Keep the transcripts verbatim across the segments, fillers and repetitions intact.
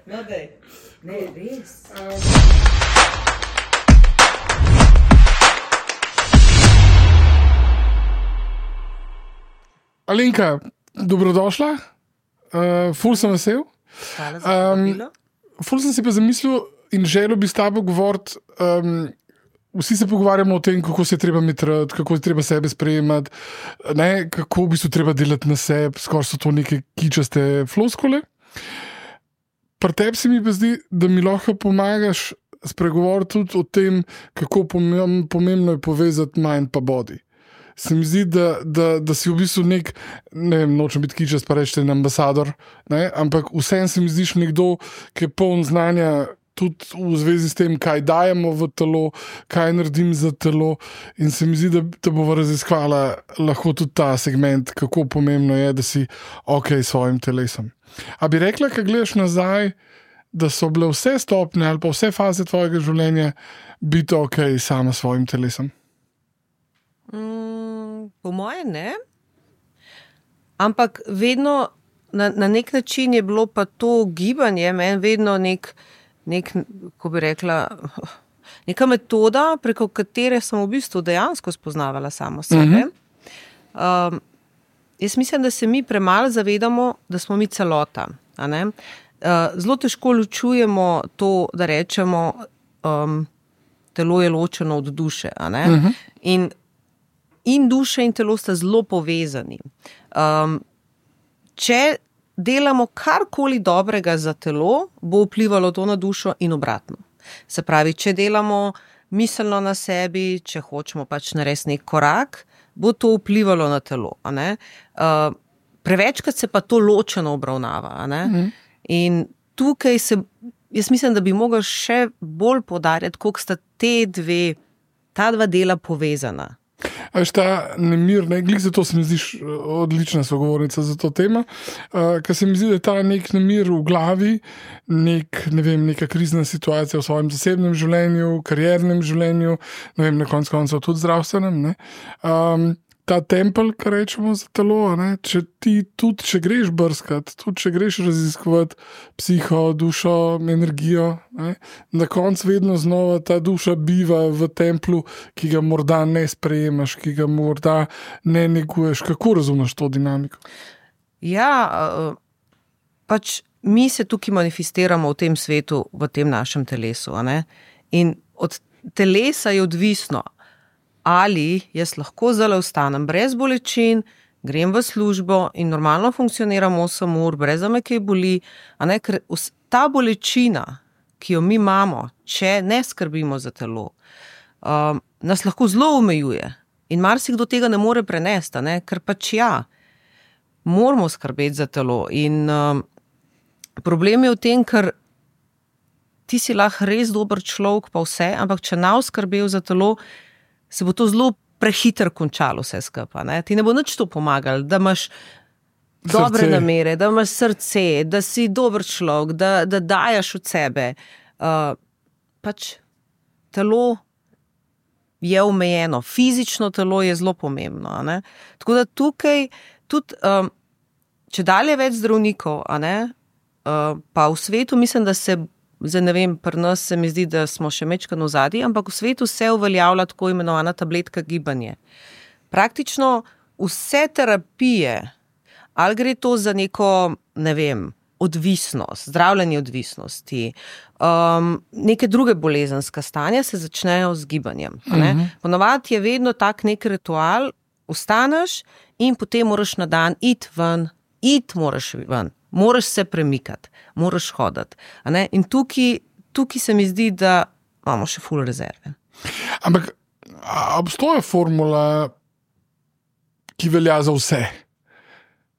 No, dej. Ne, res. Alenka, dobrodošla. Uh, ful sem vesel. Hvala za povabilo. Um, ful sem si pa zamislil in želel bi s tabo govoriti. Um, vsi se pogovarjamo o tem, kako se je treba metrati, kako je treba sebe sprejemati, ne, kako bi se treba delati na sebi, skoraj so to neke kičaste floskole. Pri tebi se mi pa zdi, da mi lahko pomagaš spregovoriti tudi o tem, kako pomembno je povezati mind pa body. Se mi zdi, da, da, da si v bistvu nek, ne vem, nočem biti kičast, pa reči ten ambasador, ne? Ampak vsem se mi zdiš nekdo, ki je poln znanja tudi v zvezi s tem, kaj dajemo v telo, kaj naredim za telo, in se mi zdi, da, da bova raziskvala lahko tudi ta segment, kako pomembno je, da si ok s svojim telesom. A bi rekla, kad gledaš nazaj, da so bile vse stopnje ali pa vse faze tvojega življenja biti ok sama s svojim telesom? Mm, po moje ne, ampak vedno na, na nek način je bilo pa to gibanje meni vedno nek, nek, ko bi rekla, neka metoda, preko katere sem v bistvu dejansko spoznavala samo sebe. Mm-hmm. Um, jaz mislim, da se mi premalo zavedamo, da smo mi celota. A ne? Uh, zelo težko ločujemo to, da rečemo, um, telo je ločeno od duše. A ne? Mm-hmm. In In duša in telo sta zelo povezani. Um, če delamo karkoli dobrega za telo, bo vplivalo to na dušo in obratno. Se pravi, če delamo miselno na sebi, če hočemo pač narediti nek korak, bo to vplivalo na telo. A ne? Uh, prevečkrat se pa to ločeno obravnava. A ne? Mm. In tukaj se, jaz mislim, da bi mogel še bolj poudarjati, koliko sta te dve, ta dva dela povezana. A veš, ta nemir, ne, glih zato se mi zdiš odlična sogovornica za to tema, uh, ker se mi zdi, da je ta nek nemir v glavi, nek, ne vem, neka krizna situacija v svojem zasebnem življenju, kariernem življenju, ne vem, na koncu koncev tudi zdravstvenem, ne. Um, ta tempelj, kar rečemo za telo, ne, če ti tudi, če greš brskat, tudi če greš raziskovati psiho, dušo, energijo, ne, na koncu vedno znova ta duša biva v templju, ki ga morda ne sprejemaš, ki ga morda ne neguješ. Kako razumeš to dinamiko? Ja, pač mi se tukaj manifestiramo v tem svetu, v tem našem telesu, a ne? In od telesa je odvisno, ali jaz lahko zdaj ostanem brez bolečin, grem v službo in normalno funkcioniram osem ur, brez da me kaj boli, a ne, ker ta bolečina, ki jo mi imamo, če ne skrbimo za telo, um, nas lahko zelo omejuje in marsikdo tega ne more prenesti, a ne, ker pač ja, moramo skrbeti za telo in um, problem je v tem, ker ti si lahko res dober človek pa vse, ampak če ne skrbel za telo, se bo to zelo prehiter končalo vse skupaj. Ne? Ti ne bo nič to pomagalo, da imaš dobre srce. Namere, da imaš srce, da si dober človek, da, da dajaš od sebe. Uh, pač telo je omejeno, fizično telo je zelo pomembno. A ne? Tako da tukaj tudi, um, če dalje več zdravnikov, a ne, uh, pa v svetu mislim, da se zdaj ne vem, pri nas se mi zdi, da smo še mečkano v zadnji, ampak v svetu se uveljavlja tako imenovana tabletka gibanje. Praktično vse terapije, ali gre to za neko, ne vem, odvisnost, zdravljenje odvisnosti, um, neke druge bolezenske stanja se začnejo z gibanjem. Uh-huh. Ponovadi je vedno tak nek ritual, vstaneš in potem moraš na dan iti ven, iti moraš ven. Moraš se premikati, moraš hoditi. A ne? In tukaj, tukaj se mi zdi, da imamo še ful rezerve. Ampak obstoja formula, ki velja za vse.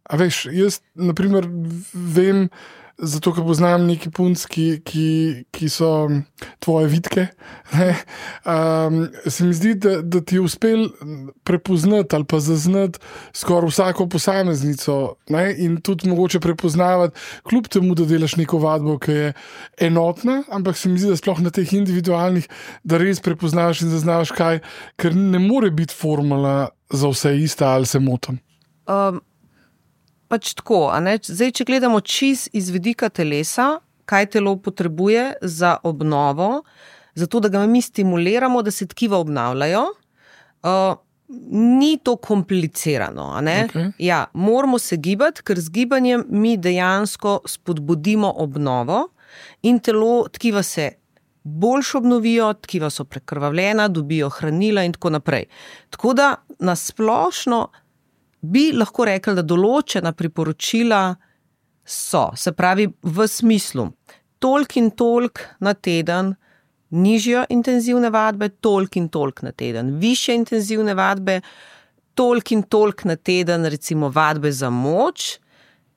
A veš, jaz naprimer vem, zato ker poznam neki punc, ki, ki, ki so tvoje vitke, ne, um, se mi zdi, da, da ti je uspel prepoznati ali pa zaznati skoraj vsako posameznico, ne, in tudi mogoče prepoznavati, kljub temu, da delaš neko vadbo, ki je enotna, ampak se mi zdi, da sploh na teh individualnih, da res prepoznaš in zaznaš kaj, ker ne more biti formula za vse ista, ali se motim. Um. pač tako, a ne? Zdaj, če gledamo čist iz vidika telesa, kaj telo potrebuje za obnovo, zato da ga mi stimuliramo, da se tkiva obnavljajo, uh, ni to komplicirano. A ne? Okay. Ja, moramo se gibati, ker z gibanjem mi dejansko spodbudimo obnovo in telo, tkiva se boljš obnovijo, tkiva so prekrvavljena, dobijo hranila in tako naprej. Tako da nasplošno bi lahko rekli, da določena priporočila so, se pravi v smislu, toliko in toliko na teden, nižjo intenzivne vadbe, toliko in toliko na teden, višje intenzivne vadbe, toliko in toliko na teden, recimo vadbe za moč,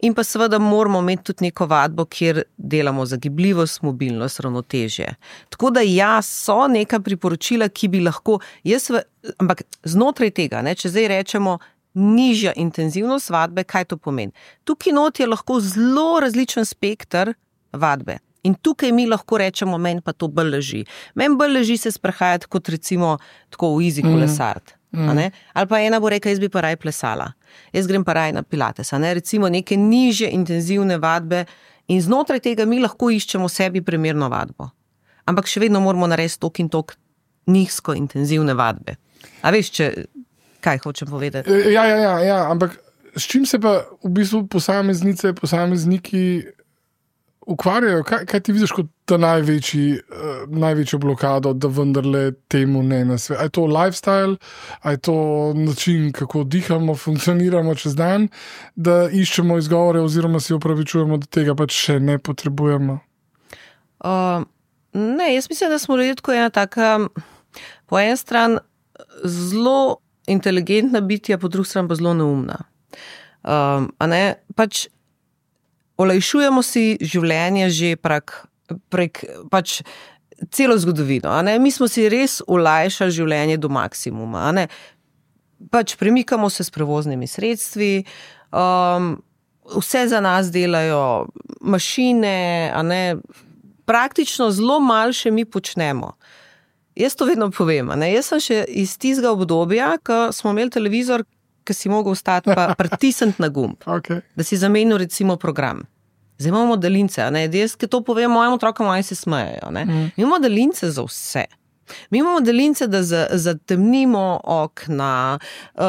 in pa seveda moramo imeti tudi neko vadbo, kjer delamo za gibljivost, mobilnost, ravnotežje. Tako da ja, so neka priporočila, ki bi lahko, jaz, v, ampak znotraj tega, ne, če zdaj rečemo nižja intenzivnost vadbe, kaj to pomeni? Tukaj not je lahko zelo različen spekter vadbe. In tukaj mi lahko rečemo, meni pa to bolj leži. Meni bolj leži se sprehajati kot recimo tako v easy kolesart. Mm. A ne? Ali pa ena bo rekla, jaz bi pa raj plesala. Jaz grem pa raj na pilates. A ne? Recimo neke nižje intenzivne vadbe in znotraj tega mi lahko iščemo sebi primerno vadbo. Ampak še vedno moramo narediti tok in tok nizko intenzivne vadbe. A veš, če, kaj hočem povedati? Ja, ja, ja, ja, ampak s čim se pa v bistvu posameznice, posamezniki ukvarjajo, kaj, kaj ti vidiš kot ta največji, uh, največjo blokado, da vendarle temu ne nasve? A je to lifestyle, a je to način, kako dihamo, funkcioniramo čez dan, da iščemo izgovore oziroma si opravičujemo, da tega pač še ne potrebujemo? Uh, ne, jaz mislim, da smo ljudje tako ena taka, po en stran zelo inteligentna bitja, po drugi stran pa zelo neumna. Um, a ne, pač olajšujemo si življenje že prek, prek pač celo zgodovino. A ne? Mi smo si res olajšali življenje do maksimuma. A ne? Pač premikamo se s prevoznimi sredstvi, um, vse za nas delajo mašine, a ne? Praktično zelo malo še mi počnemo. Jaz to vedno povem. A ne? Jaz sem še iz tistega obdobja, ko smo imeli televizor, ki si mogel ostati pa pritisniti na gumb, okay. Da si zamenil recimo program. Zdaj imamo daljince, ne? Jaz, ki to povem mojim otrokom, oni se smejejo. Ne? Mm. Mi imamo daljince za vse. Mi imamo daljince, da zatemnimo okna, uh,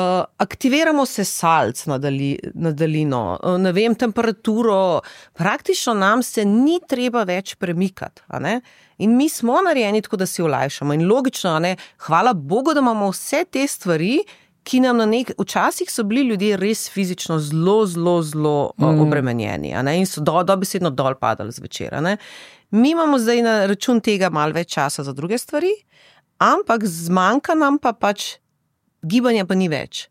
aktiviramo sesalc na, dali, na daljino, uh, ne vem, temperaturo, praktično nam se ni treba več premikati. A ne? In mi smo narejeni tako, da si olajšamo. In logično, a ne? Hvala Bogu, da imamo vse te stvari, ki nam na nek, včasih so bili ljudje res fizično zelo, zelo, zelo mm. obremenjeni, a ne? In so do, dobesedno dol padali zvečer. A ne? Mi imamo zdaj na račun tega malo več časa za druge stvari, ampak zmanjka nam pa pač gibanja pa ni več.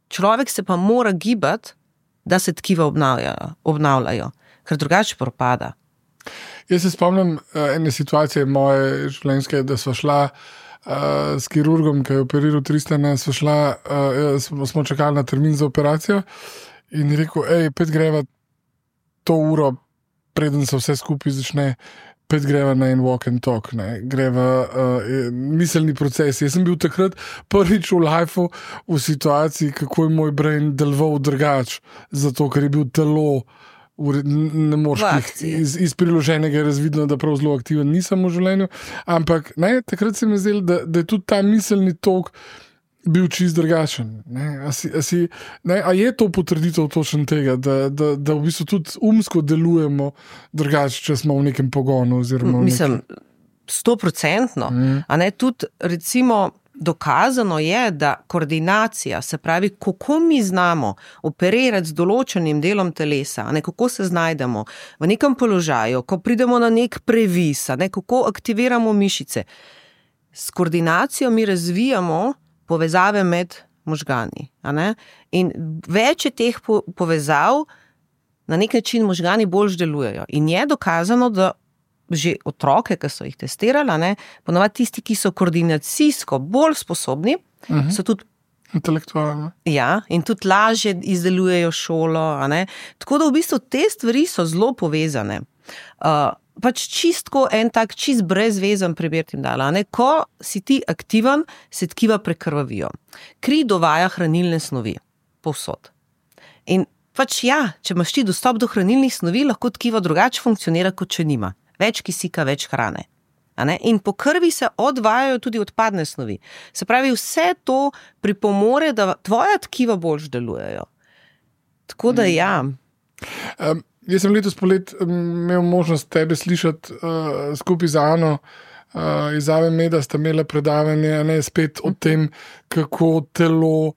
Človek se pa mora gibati, da se tkiva obnavljajo, obnavljajo, ker drugače propada. Jaz se spomnim uh, ene situacije moje življenjske, da sva šla Uh, s kirurgom, ki je operiral Tristana, smo, šla, uh, smo, smo čakali na termin za operacijo in je rekel, ej, pet greva to uro, preden se vse skupaj začne, pet greva na en walk and talk, ne, greva uh, miselni proces. Jaz sem bil takrat prvič v lifeu v situaciji, kako je moj brain deloval drugače, zato ker je bil telo ne moreš iz, iz priloženega je razvidno, da prav zelo aktiven nisem v življenju, ampak ne, takrat se mi zdelo, da, da je tudi ta miselni tok bil čist drugačen. Ne? A, si, a, si, ne? A je to potrditev točno tega, da, da, da v bistvu tudi umsko delujemo drugače, če smo v nekem pogonu? Oziroma v Mislim, stoprocentno. Mm. A ne, tudi recimo dokazano je, da koordinacija, se pravi, kako mi znamo operirati z določenim delom telesa, ne, kako se znajdemo v nekem položaju, ko pridemo na nek previs, ne, kako aktiviramo mišice. S koordinacijo mi razvijamo povezave med možgani. A ne? In več je teh povezav, na nek način možgani bolj delujejo. In je dokazano, da že otroke, ki so jih testirali, ne, ponovadi tisti, ki so koordinacijsko bolj sposobni, uh-huh. so tudi intelektualno. Ja, in tudi lažje izdelujejo šolo. A ne. Tako da v bistvu te stvari so zelo povezane. Uh, pač čistko en tak čist brezvezen primer tim dala. Ne. Ko si ti aktiven, se tkiva prekrvavijo. Kri dovaja hranilne snovi povsod. In pač ja, če imaš ti dostop do hranilnih snovi, lahko tkivo drugače funkcionira, kot če nima. Več kisika, več hrane. A ne? In po krvi se odvajajo tudi odpadne snovi. Se pravi, vse to pripomore, da tvoja tkiva boljš delujejo. Tako da ja. Um, jaz sem letos polet imel možnost tebe slišati uh, skupaj z Ano uh, iz Ave Meda, sta imela predavanje, ne, spet o tem, kako telo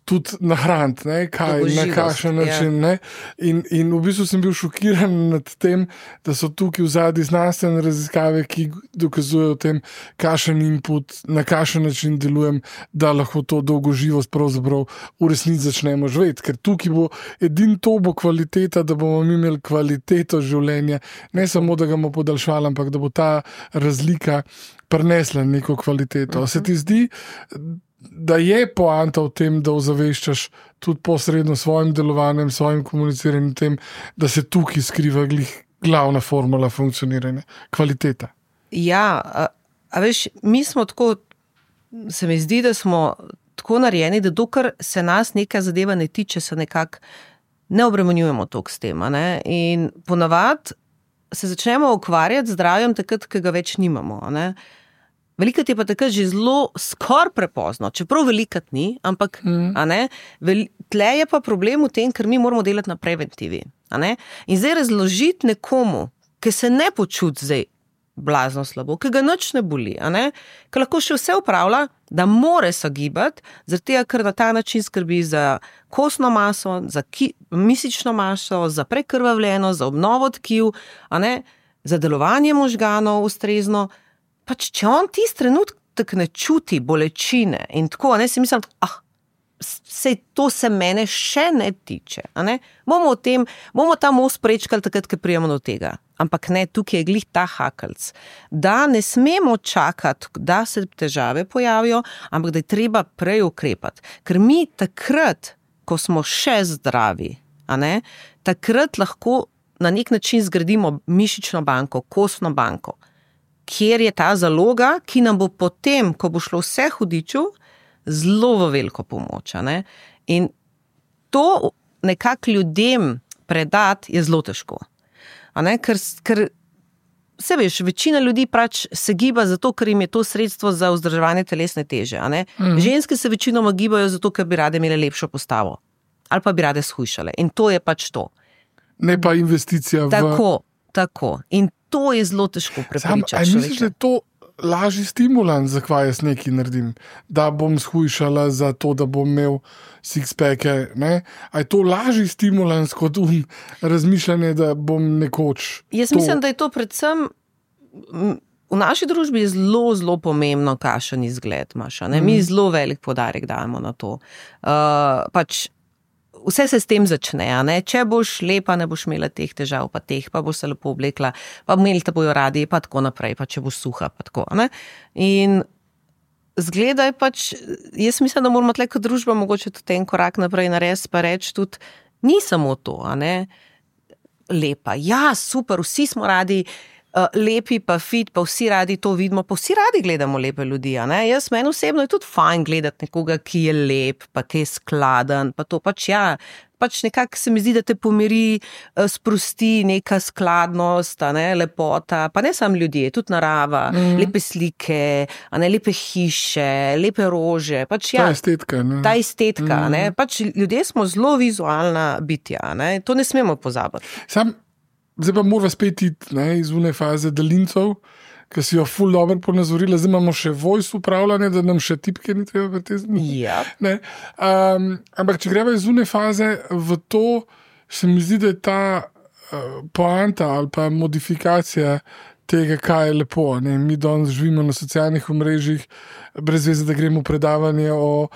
tudi nahraniti, ne, kaj, na kakšen način. Ne. In, in v bistvu sem bil šokiran nad tem, da so tukaj v zadnji znanstvene raziskave, ki dokazujejo o tem, kakšen input, na kakšen način delujem, da lahko to dolgoživost pravzaprav v resnici začnemo živeti. Ker tukaj bo edin to bo kvaliteta, da bomo mi imeli kvaliteto življenja, ne samo, da ga bomo podaljšali, ampak da bo ta razlika prinesla neko kvaliteto. Uh-huh. Se ti zdi, da je poanta v tem, da ozaveščaš tudi posredno svojim delovanjem, svojim komuniciranjem tem, da se tukaj skriva glih glavna formula funkcioniranja, kvaliteta? Ja, a, a veš, mi smo tako, se mi zdi, da smo tako narejeni, da dokler se nas neka zadeva ne tiče, se nekako ne obremenjujemo toliko s tem. A ne? In ponavadi se začnemo ukvarjati z zdravjem takrat, ki ga več nimamo. A ne? Velikrat je pa takrat že zelo skor prepozno, čeprav velikrat ni, ampak mm. a ne, vel, tle je pa problem v tem, ker mi moramo delati na preventivi. A ne? In zdaj razložiti nekomu, ki se ne počuti zdaj blazno slabo, ki ga nič ne boli, a ne, ki lahko še vse upravlja, da more se gibati, zaradi tega, ker na ta način skrbi za kostno maso, za ki, mišično maso, za prekrvavljeno, za obnovo tkiv, a ne, za delovanje možganov ustrezno. Pač, če on tisti trenutek ne čuti bolečine in tako, ne, si mislim, ah, sej to se mene še ne tiče, a ne, bomo o tem, bomo ta most prečkali takrat, ko prijemo do tega, ampak ne, tukaj je glih ta hakelc, da ne smemo čakati, da se težave pojavijo, ampak da je treba prej ukrepati, ker mi takrat, ko smo še zdravi, a ne, takrat lahko na nek način zgradimo mišično banko, kostno banko, kjer je ta zaloga, ki nam bo potem, ko bo šlo vse hudiču, zelo v veliko pomoč. Ne? In to nekako ljudem predati je zelo težko. A ne? Ker, ker se veš, večina ljudi pač se giba zato, ker jim je to sredstvo za vzdrževanje telesne teže. A ne? Mhm. Ženske se večinoma gibajo zato, ker bi rade imele lepšo postavo. Ali pa bi rade shujšale. In to je pač to. Ne pa investicija v... Tako, tako. In to je zelo težko prepričati. Ali misliš, da je to lažji stimulans, zakaj jaz nekaj naredim? Da bom shujšala za to, da bom imel six-packe, ne? A je to lažji stimulans kot um razmišljanje, da bom nekoč... Jaz to... mislim, da je to predvsem... V naši družbi je zelo, zelo pomembno, kakšen izgled imaš. Ne? Mi zelo velik poudarek dajemo na to. Uh, pač vse se s tem začne, a ne? Če boš lepa, ne boš imela teh težav, pa teh, pa boš se lepo oblekla, pa imeli te bojo radi, pa tako naprej, pa če boš suha, pa tako, a ne? In zgleda je pač, jaz mislim, da moramo tle kot družba mogoče tudi en korak naprej narediti, pa reči tudi, ni samo to, a ne? Lepa, ja, super, vsi smo radi Uh, lepi pa fit, pa vsi radi to vidimo, pa vsi radi gledamo lepe ljudi, a ne? Jaz, meni osebno je tudi fajn gledati nekoga, ki je lep, pa ki je skladen, pa to pač ja, pač nekako se mi zdi, da te pomiri, uh, sprosti neka skladnost, a ne, lepota, pa ne samo ljudje, tudi narava, mm. lepe slike, a ne, lepe hiše, lepe rože, pač ja. Ta estetika, ne? Ta estetika, mm. ne, pač ljudje smo zelo vizualna bitja, ne, to ne smemo pozabiti. Sam Zdaj pa moramo spet iti ne, iz une faze daljincev, ki si jo ful dobro ponazorila, zdaj imamo še voice upravljanje, da nam še tipke ni treba pretezni. Yep. Um, ampak če greva iz une faze v to, se mi zdi, da je ta uh, poanta ali pa modifikacija tega, kaj je lepo. Ne? Mi danes živimo na socialnih omrežjih, brez veze, da gremo v predavanje o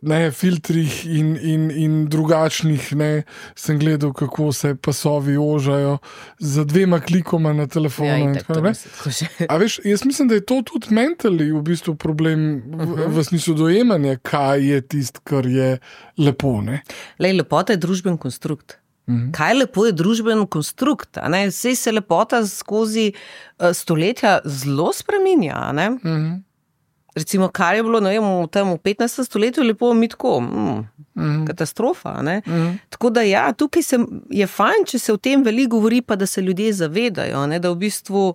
ne, filtrih in, in, in drugačnih. Ne? Sem gledal, kako se pasovi ožajo z dvema klikoma na telefonu. Ja, in tako naprej. A veš, jaz mislim, da je to tudi mentally v bistvu problem v, uh-huh. v smislu dojemanja, kaj je tist, kar je lepo. Ne? Lej, lepota je družben konstrukt. Kaj lepo je družben konstrukt, a ne? Sej se lepota skozi uh, stoletja zelo spreminja, a ne? Mm-hmm. recimo, kar je bilo, ne vem, v tem v petnajstem stoletju lepo mi tako, mm, mm. katastrofa, ne. Mm. Tako da ja, tukaj se, je fajn, če se o tem veliko govori, pa da se ljudje zavedajo, ne, da v bistvu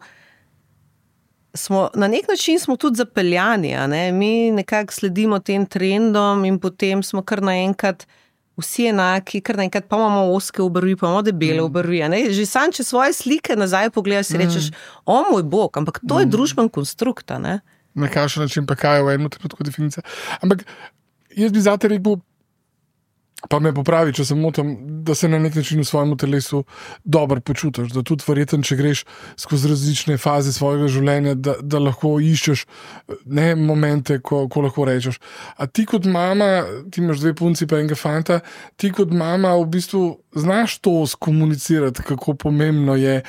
smo, na nek način smo tudi zapeljani, a ne, mi nekako sledimo tem trendom in potem smo kar naenkrat vsi enaki, kar naenkrat pa imamo ozke obrvi, pa imamo debele mm. obrvi, a ne, že sam, če svoje slike nazaj pogledaš, si rečeš, mm. o moj bog, ampak to mm. je družben konstrukt, a ne. Na kakšen način pa kaj je v enem trenutku definicija. Ampak jaz bi zate rekel, pa me popravi, če se motim, da se na nek način v svojem telesu dobro počutiš, da tudi verjetno, če greš skozi različne faze svojega življenja, da, da lahko iščeš ne, momente, ko, ko lahko rečeš. A ti kot mama, ti imaš dve punci pa enega fanta, ti kot mama v bistvu znaš to skomunicirati, kako pomembno je,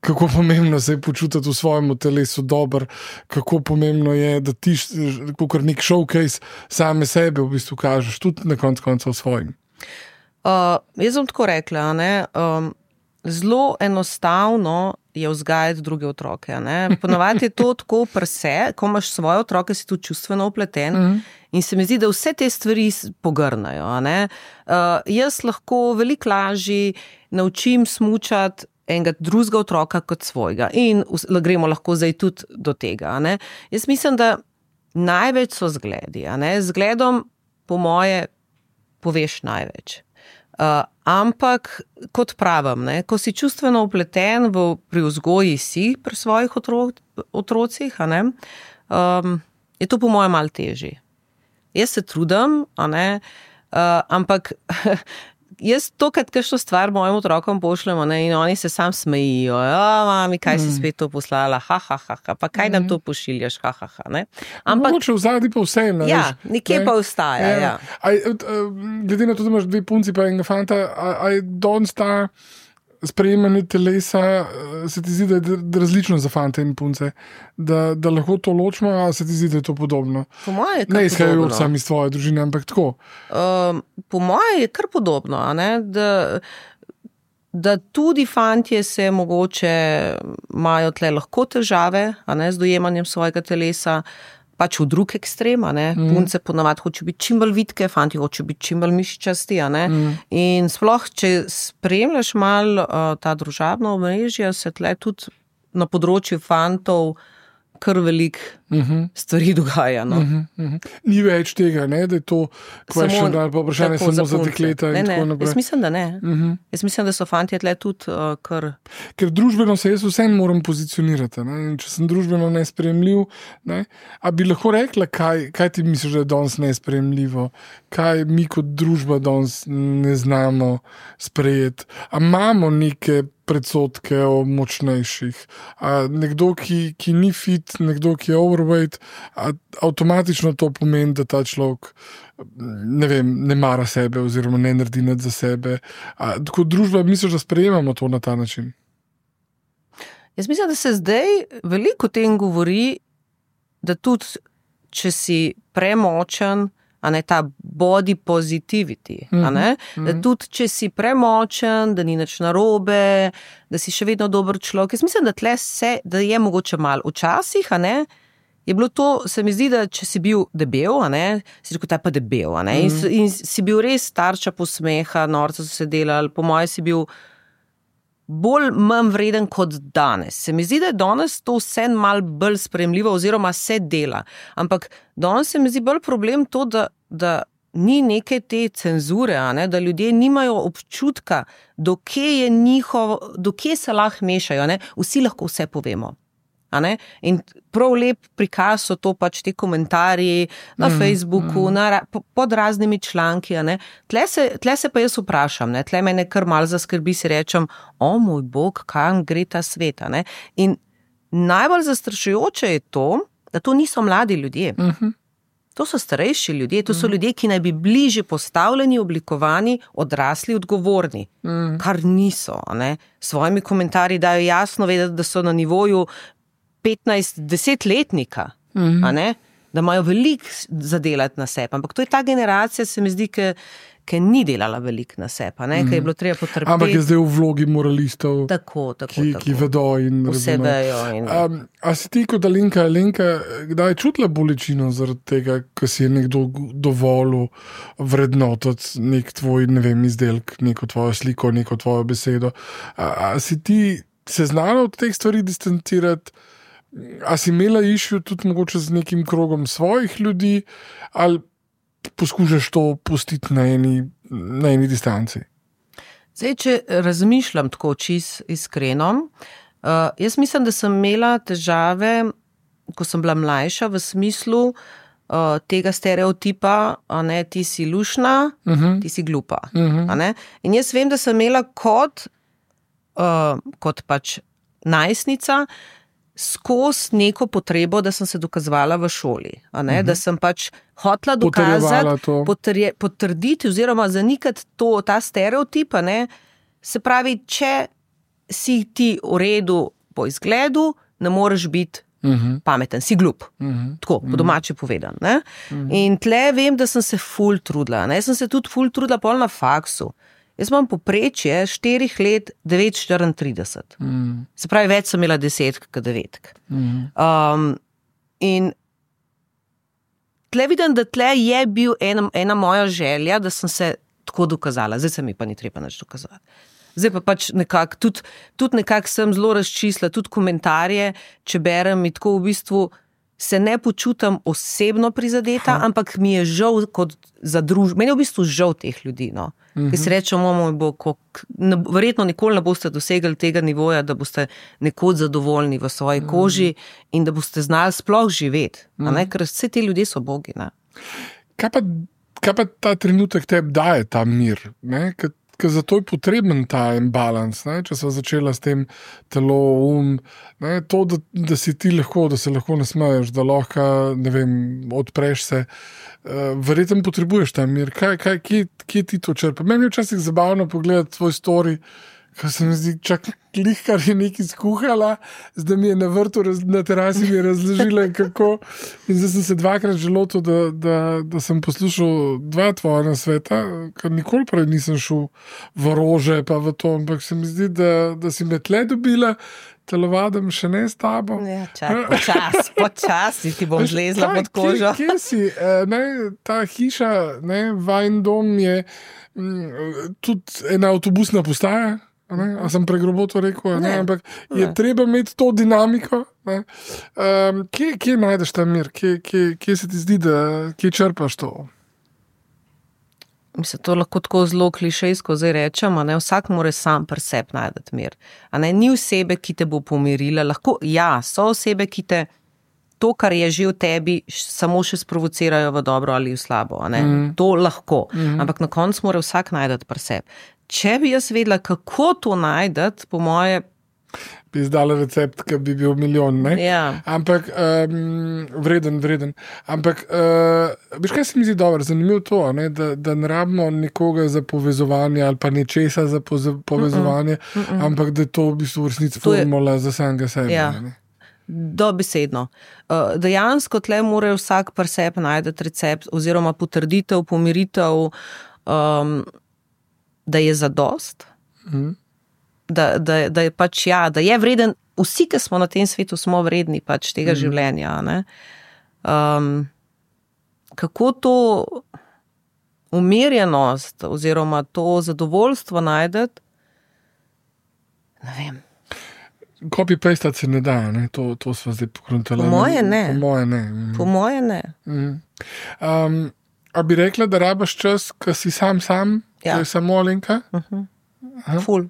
kako pomembno se je počutiti v svojem telesu dobro, kako pomembno je, da ti kot nek showcase same sebe v bistvu kažeš, tudi na koncu koncev svojim. Uh, jaz bom tako rekla, ne, um, zelo enostavno je vzgajati druge otroke. Ne. Ponovadi je to tako prse, ko imaš svoje otroke, si tu čustveno upleten mm. in se mi zdi, da vse te stvari pogrnajo. Ne. Uh, jaz lahko veliko lažje naučim smučati enega drugega otroka kot svojega. In gremo lahko zdaj tudi do tega. Ne? Jaz mislim, da največ so zgledi. A ne? Zgledom, po moje, poveš največ. Uh, ampak, kot pravim, ne? Ko si čustveno upleten v, pri vzgoji si, pri svojih otro, otrocih, a ne? Um, je to po moje malo težje. Jaz se trudim, a ne? Uh, ampak jaz to, kad kakšno stvar mojim otrokom pošljemo, ne, in oni se sam smejijo, ja, mami, kaj si spet to poslala, ha, ha, ha, ha, pa kaj nam to pošiljaš, ha, ha, ha, ne. Ampak, mogoče vzadi pa vse, ne, ja, veš, nekje ne? Pa ostaja, ja. ja. Aj, glede na to, da imaš dve punci pa enega fanta, aj danes ta sprejemanje telesa, se ti zdi, da je različno za fante in punce, da, da lahko to ločimo, a se ti zdi, da je to podobno? Po moje je kar ne izhajajo podobno. Sami iz tvoje družine, ampak tako. Um, po moje je kar podobno, a ne, da, da tudi fantje se mogoče imajo tle lahko težave, a ne, z dojemanjem svojega telesa, pač v drug ekstrem, a ne, mm. punce ponavadi hoče biti čim bolj vitke, fanti hoče biti čim bolj mišičasti, a ne, mm. in sploh, če spremljaš malo uh, ta družabna omrežja, se tle tudi na področju fantov kar veliko uh-huh. stvari dogaja. No? Uh-huh, uh-huh. Ni več tega, ne? Da je to question, ali pa vprašanje samo za, za dekleta in ne, tako naprej. Jaz mislim, da ne. Uh-huh. Jaz mislim, da so fantje tle tudi uh, kar... Ker družbeno se jaz vsem moram pozicionirati. Ne? In če sem družbeno nesprejemljiv, ne? A bi lahko rekla, kaj, kaj ti misliš, da je danes nesprejemljivo? Kaj mi kot družba danes ne znamo sprejeti? A imamo neke predsodke o močnejših. A nekdo, ki, ki ni fit, nekdo, ki je overweight, a avtomatično to pomeni, da ta človek ne vem, ne mara sebe oziroma ne naredi nič za sebe. A kot družba misliš, da sprejemamo to na ta način? Jaz mislim, da se zdaj veliko o tem govori, da tudi, če si premočen, a ne ta body positivity, a ne? Mm-hmm. Da tudi, če si premočen, da ni nič narobe, da si še vedno dober človek. Jaz mislim, da tle se, da je mogoče malo včasih, a ne? Je bilo to, se mi zdi, da če si bil debel, a ne? Si rekel, ta pa debel, a ne? Mm-hmm. In, in si bil res tarča posmeha, norca so se delali, po moje si bil bolj manj vreden kot danes. Se mi zdi, da je danes to vse malo bolj sprejemljivo oziroma se dela. Ampak danes se mi zdi bolj problem to, da, da ni neke te cenzure, a ne? Da ljudje nimajo občutka, do kje je njihov, do kje se lahko mešajo. Ne? Vsi lahko vse povemo. A ne? In prav lep prikaz so to pač te komentarji na mm, Facebooku, mm. Na, pod raznimi članki. A ne? Tle, se, tle se pa jaz vprašam, ne? Tle mene kar malo zaskrbi, si rečem, o moj bog, kam gre ta svet. A ne? In najbolj zastrašujoče je to, da to niso mladi ljudje. Mm-hmm. To so starejši ljudje, to so mm. ljudje, ki naj bi bliže postavljeni, oblikovani, odrasli, odgovorni. Mm. Kar niso. A ne? Svojimi komentarji dajo jasno vedeti, da so na nivoju petnajst desetletnika, mm-hmm. a ne? da imajo veliko zadelati na sebi. Ampak to je ta generacija, se mi zdi, ki ki ni delala veliko na sebi, mm. ki je bilo treba potrpeti. Ampak je zdaj v vlogi moralistov, tako, tako, ki, tako. ki vedo in vse vejo. In... Um, a si ti kot Alenka, Alenka, kdaj čutila bolečino zaradi tega, ko si je nekdo dovolil vrednotiti nek tvoj, ne vem, izdelek, neko tvojo sliko, neko tvojo besedo? A, a si ti se znala od teh stvari distancirati? A si imela išjo tudi mogoče z nekim krogom svojih ljudi, ali poskušaš to pustiti na eni, na eni distanci? Zdaj, če razmišljam tako čist iskreno, uh, jaz mislim, da sem imela težave, ko sem bila mlajša, v smislu uh, tega stereotipa, a ne, ti si lušna, uh-huh. ti si glupa. Uh-huh. A ne? In jaz vem, da sem imela kot, uh, kot pač najstnica, skozi neko potrebo, da sem se dokazovala v šoli, a ne? Uh-huh. Da sem pač hotela dokazati, potrje, potrditi oziroma zanikati to, ta stereotip, a ne? Se pravi, če si ti v redu po izgledu, ne moreš biti uh-huh. pameten, si glup. Uh-huh. Tako, po domače povedan. Ne? Uh-huh. In tle vem, da sem se ful trudila. Ne? Jaz sem se tudi ful trudila pol na faksu. Jaz imam poprečje štirih let devet štiriintrideset. Mm. Se pravi, več sem imela desetk kot devetk. Mm. Um, in tle vidim, da tle je bil ena, ena moja želja, da sem se tako dokazala. Zdaj se mi pa ni treba nič dokazati. Zdaj pa pač nekako, tudi, tudi nekako sem zelo razčisla, tudi komentarje, če berem in tako v bistvu se ne počutam osebno prizadeta, ha. Ampak mi je žal kot za družbo. Meni je v bistvu žal teh ljudi, no. Mm-hmm. Ki si rečemo, moj bo, kak, ne, verjetno nikoli ne boste dosegli tega nivoja, da boste nekoč zadovoljni v svoji mm-hmm. koži in da boste znali sploh živeti. Mm-hmm. A ne? Ker vse ti ljudje so bogi. Ne? Kaj pa, kaj pa ta trenutek tebi daje ta mir? Ne? Ker Ker zato je potreben ta imbalans, ne? Če so začela s tem telo, um, ne? To, da, da si ti lahko, da se lahko nasmeješ, da lahko, ne vem, odpreš se, uh, verjetno potrebuješ ta mir. Kaj, kaj, kje, kje ti to črpa? Meni je včasih zabavno pogledati tvoj story, ker se mi zdi, čak lihkar je nekaj skuhala, zdaj mi je na vrtu, na terasi mi je razložila, kako. In zdaj sem se dvakrat želotil, da, da, da sem poslušal dva tvoja nasveta, ker nikoli prej nisem šel v rože pa v to, ampak se mi zdi, da, da si me tle dobila, telovadam še ne s tabo. Ja, čak, počas, počas ti bom zlezla pod kožo. Kje, kje si? Ne, ta hiša, ne, vajn dom je m, tudi ena avtobusna postaja. Ne? A sem pregrobo to rekel, ne? Ne. Ampak je ne. Treba imeti to dinamiko. Um, kje, kje najdeš ta mir? Kje, kje, kje se ti zdi, da kje črpaš to? Mislim, to lahko tako zelo klišejsko zdaj rečem, a ne, vsak mora sam pri sebi najdeti mir. A ne, ni osebe, ki te bo pomirila. Lahko, ja, so osebe, ki te to, kar je že v tebi, samo še sprovocirajo v dobro ali v slabo. A ne? Mm. To lahko. Mm. Ampak na koncu mora vsak najdeti pri sebi. Če bi jaz vedela, kako to najdeti, po moje... Bi izdala recept, ki bi bil milijon, ne? Ja. Ampak, um, vreden, vreden. Ampak, uh, veš, kaj se mi zdi dobro, zanimivo to, ne? Da, da ne rabimo nekoga za povezovanje ali pa nečesa za povezovanje, mm-mm, mm-mm. ampak da je to v bistvu v resnici formula je... za samega sebe. Ja. Ne? Dobesedno. Uh, dejansko tle mora vsak pri sebi najdeti recept oziroma potrditev, pomiritev, um, da je zadost, mm. da, da, da je pač ja, da je vreden, vsi, ki smo na tem svetu, smo vredni pač tega mm. življenja. Ne? Um, kako to umirjenost oziroma to zadovoljstvo najdeti, ne vem. Copy-pastati se ne da, ne? To, to smo zdaj pokrontali. Po moje ne. Po moje ne. Mm. Po moje ne. Mm. Um, a bi rekla, da rabaš čas, ko si sam sam? Ja. To je samo Alenka? Uh-huh. Ful.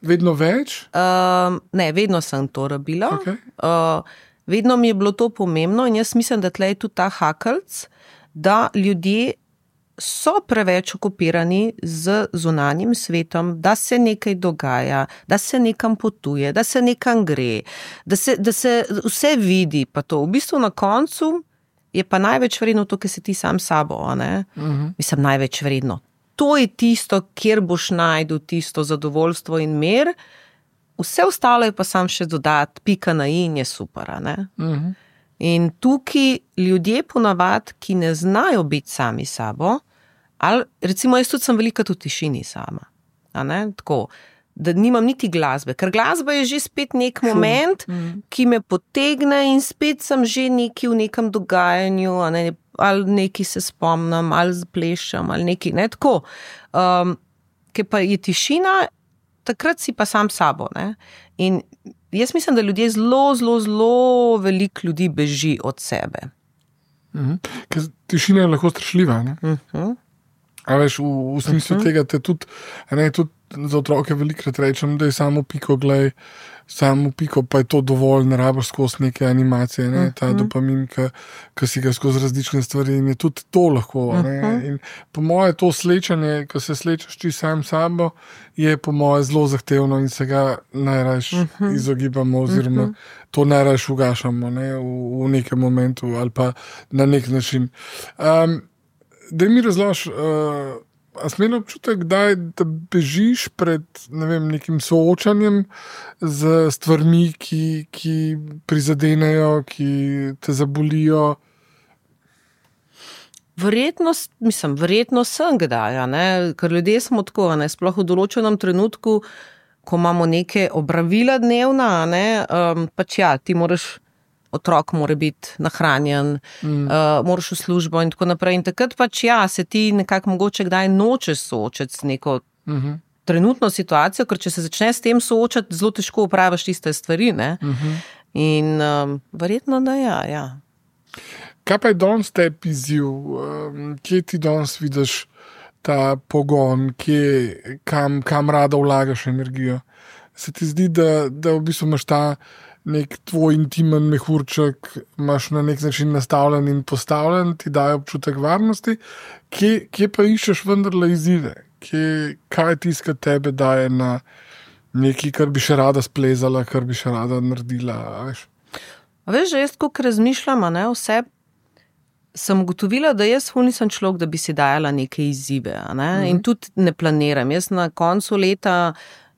Vedno več? Uh, ne, vedno sem to rabila. Okay. Uh, vedno mi je bilo to pomembno in jaz mislim, da tle je tudi ta hakelc, da ljudje so preveč okupirani z zunanjim svetom, da se nekaj dogaja, da se nekam potuje, da se nekam gre, da se, da se vse vidi, pa to. V bistvu na koncu je pa največ vredno to, kar si ti sam sabo, a ne? Uh-huh. Mislim, največ vredno. To je tisto, kjer boš najdel tisto zadovoljstvo in mir, vse ostalo je pa sam še dodati, pika na i in je super, a ne? Uh-huh. In tukaj ljudje ponavadi, ki ne znajo biti sami sabo, ali recimo jaz tudi sem velika v tišini sama, a ne, tako, da nimam niti glasbe, ker glasba je že spet nek moment, mm. ki me potegne in spet sem že neki v nekem dogajanju, a ne, ali neki se spomnim, ali plešem, ali neki, ne, tako. Um, ker pa je tišina, takrat si pa sam sabo, ne. In jaz mislim, da ljudje zelo, zelo, zelo veliko ljudi beži od sebe. Mm-hmm. Ker tišina je lahko strašljiva, ne? Mm-hmm. A veš, v, v smislu uh-huh. tega te tudi, ne, tudi za otroke velikrat rečem, da je samo piko, glej, samo piko, pa je to dovolj, ne rabiš skozi neke animacije, ne, ta uh-huh. dopamin, ki si ga skozi različne stvari in je tudi to lahko. Ne, uh-huh. In po moje to slečanje, ko se slečeš ti sam sabo, je po moje zelo zahtevno in se ga najrajš uh-huh. izogibamo oziroma uh-huh. to najrajš ugašamo, ne, v, v nekem momentu ali pa na nek način. Um, Da mi razlož, uh, a smelo občutek, kdaj, da bežiš pred ne vem, nekim soočanjem z stvarmi, ki, ki prizadenejo, ki te zabolijo? Verjetno, mislim, verjetno sem kdaj, ne? Ker ljudje smo tako, ne? Sploh v določenem trenutku, ko imamo neke opravila dnevna, ne? Um, pač ja, ti moraš otrok mora biti nahranjen, mm. uh, moraš v službo in tako naprej. In takrat pač ja, se ti nekako mogoče kdaj nočeš soočati s neko mm-hmm. trenutno situacijo, ker če se začneš s tem soočati, zelo težko upraviš tiste stvari, ne? Mm-hmm. In um, verjetno, da ja, ja. Kaj pa je danes tebi izziv? Um, kje ti danes vidiš ta pogon, kje, kam, kam rada vlagaš energijo? Se ti zdi, da, da v bistvu imaš ta nek tvoj intimen mehurček, imaš na nek način nastavljen in postavljen, ti daje občutek varnosti, kje, kje pa iščeš vendarle izzive? Kje, kaj tiska tebe daje na nekaj, kar bi še rada splezala, kar bi še rada naredila, veš? A veš, že jaz, koliko razmišljam, ne, vse, sem ugotovila, da jaz ful nisem človek, da bi si dajala neke izzive, ne? Mm-hmm. In tudi ne planiram. Jaz na koncu leta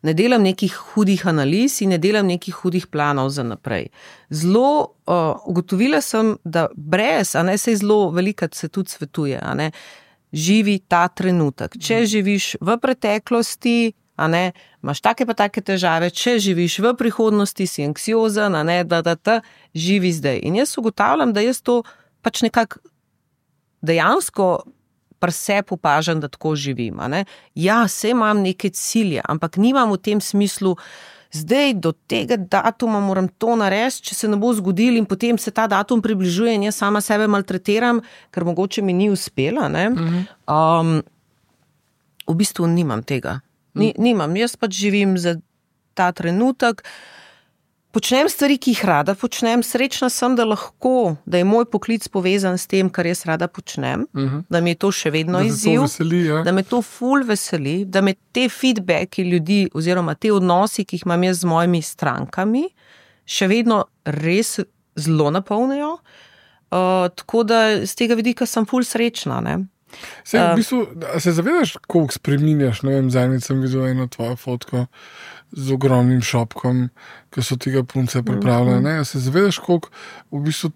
ne delam nekih hudih analiz in ne delam nekih hudih planov za naprej. Zelo uh, ugotovila sem, da brez, a ne, sej zelo velikrat se tudi svetuje, a ne, živi ta trenutek. Če živiš v preteklosti, a ne, imaš take pa take težave, če živiš v prihodnosti, si anksiozen, a ne, da, da, da, živi zdaj. In jaz ugotavljam, da jaz to pač nekako dejansko pri sebi opažam, da tako živim. A ne? Ja, se imam neke cilje, ampak nimam v tem smislu, zdaj do tega datuma moram to narediti, če se ne bo zgodil in potem se ta datum približuje in jaz sama sebe maltretiram, ker mogoče mi ni uspela. Ne? Um, v bistvu nimam tega. Ni, nimam. Jaz pač živim za ta trenutek, počnem stvari, ki jih rada počnem, srečna sem, da lahko, da je moj poklic povezan s tem, kar jaz rada počnem, uh-huh. da mi je to še vedno da izziv, veseli, ja. Da me to ful veseli, da me te feedbacki ljudi oziroma te odnosi, ki jih imam jaz z mojimi strankami, še vedno res zelo napolnijo, uh, tako da z tega vidika sem ful srečna, ne. Se, v bistvu, se zavedaš, koliko spreminjaš, ne vem, zadnjič sem videl eno tvojo fotko z ogromnim šopkom, ki so tega punce pripravljene, ne? Se zavedaš, koliko v bistvu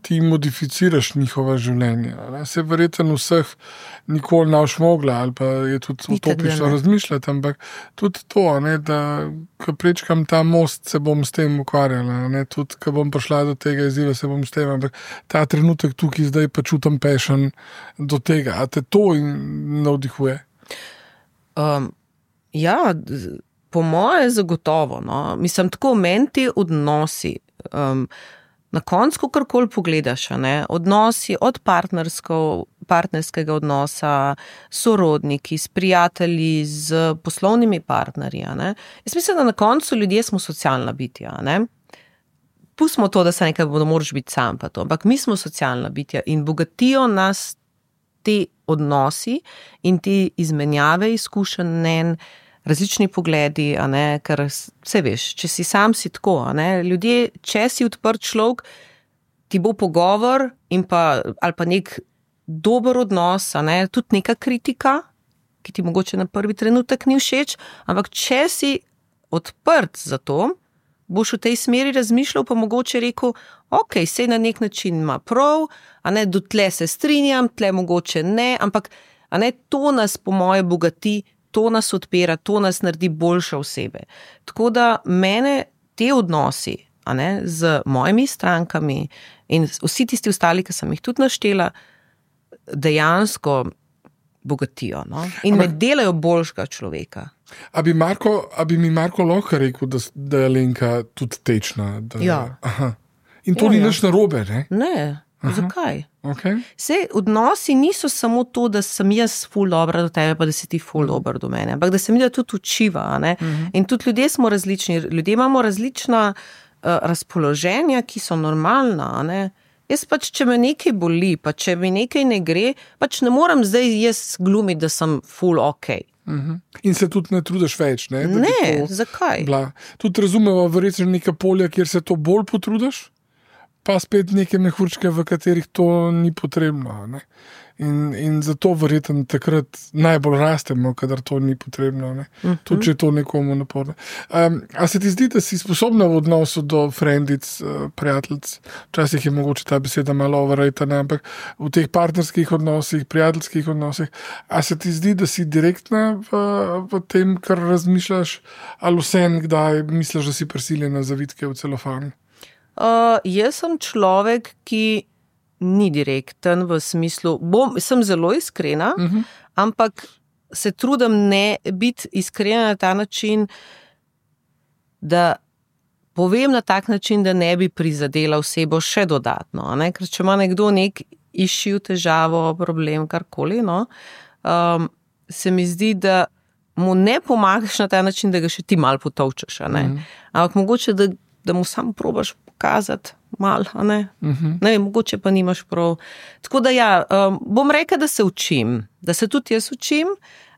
ti modificiraš njihova življenja, ne? Se verjetno vseh nikoli ne boš mogla, ali pa je tudi utopično razmišljati, ampak tudi to, ne, da ko prečkam ta most, se bom s tem ukvarjala, ne? Tudi ko bom prišla do tega izziva, se bom s tem, ampak ta trenutek tukaj zdaj pa čutim passion do tega, a te to navdihuje? Um, ja, po moje zagotovo, no. Mislim, tako meni ti odnosi, um, na koncu, karkoli pogledaš, ne, odnosi od partnerskega odnosa, sorodniki, s prijatelji, z poslovnimi partnerji, ne. Jaz mislim, da na koncu ljudje smo socialna bitja, ne. Pustimo to, da se nekaj, da moraš biti sam pa to, ampak mi smo socialna bitja in bogatijo nas te odnosi in te izmenjave izkušenj, mnenj, različni pogledi, a ne, ker vse veš, če si sam si tako, a ne, ljudje, če si odprt človek, ti bo pogovor in pa, ali pa nek dober odnos, a ne, tudi neka kritika, ki ti mogoče na prvi trenutek ni všeč, ampak če si odprt za to, boš v tej smeri razmišljal, pa mogoče rekel, ok, sej na nek način ima prav, a ne, do tle se strinjam, tle mogoče ne, ampak a ne, to nas po moje bogati, to nas odpira, to nas naredi boljše osebe. Tako da mene te odnosi, a ne, z mojimi strankami in vsi tisti ostali, ki sem jih tudi naštela, dejansko bogatijo, no? In me delajo boljšega človeka. A bi, Marko, a bi mi Marko lahko rekel, da, da je Alenka tudi tečna? Da, ja. Aha. In to ja, ni ja. nič narobe, ne? Ne, aha. Zakaj? Okay. Sej, odnosi niso samo to, da sem jaz ful dobra do tebe, pa da si ti ful dober do mene, ampak da se mi da tudi učiva, ne? Uh-huh. In tudi ljudje smo različni, ljudje imamo različna uh, razpoloženja, ki so normalna, ne? Jaz pač, če me nekaj boli, pa če mi nekaj ne gre, pač ne morem zdaj jaz glumiti, da sem full ok. Uh-huh. In se tudi ne trudiš več, ne? Da ne, zakaj? Bila. Tudi razumemo, verjetno neka polja, kjer se to bolj potrudiš, pa spet neke mehurčke, v katerih to ni potrebno, ne? In, in zato verjetno takrat najbolj rastemo, kadar to ni potrebno, ne? Uh-huh. Tudi če je to nekomu naporno. Um, a se ti zdi, da si sposobna v odnosu do frendic, uh, prijateljic, včasih je mogoče ta beseda malo overrated, ampak v teh partnerskih odnosih, prijateljskih odnosih, a se ti zdi, da si direktna v, v tem, kar razmišljaš, ali vsem, kdaj misliš, da si prisiljena zavitke v celofan? Uh, jaz sem človek, ki ni direkten v smislu, bom, sem zelo iskrena, uh-huh. ampak se trudim ne biti iskrena na ta način, da povem na tak način, da ne bi prizadela osebo še dodatno. Ne? Ker če ima nekdo nek issue, težavo, problem, karkoli, no, um, se mi zdi, da mu ne pomagaš na ta način, da ga še ti malo potovčeš. Uh-huh. Ampak mogoče, da, da mu sam probaš pokazati malo, a ne? Uh-huh. Ne vem, mogoče pa nimaš prav. Tako da ja, um, bom rekla, da se učim, da se tudi jaz učim,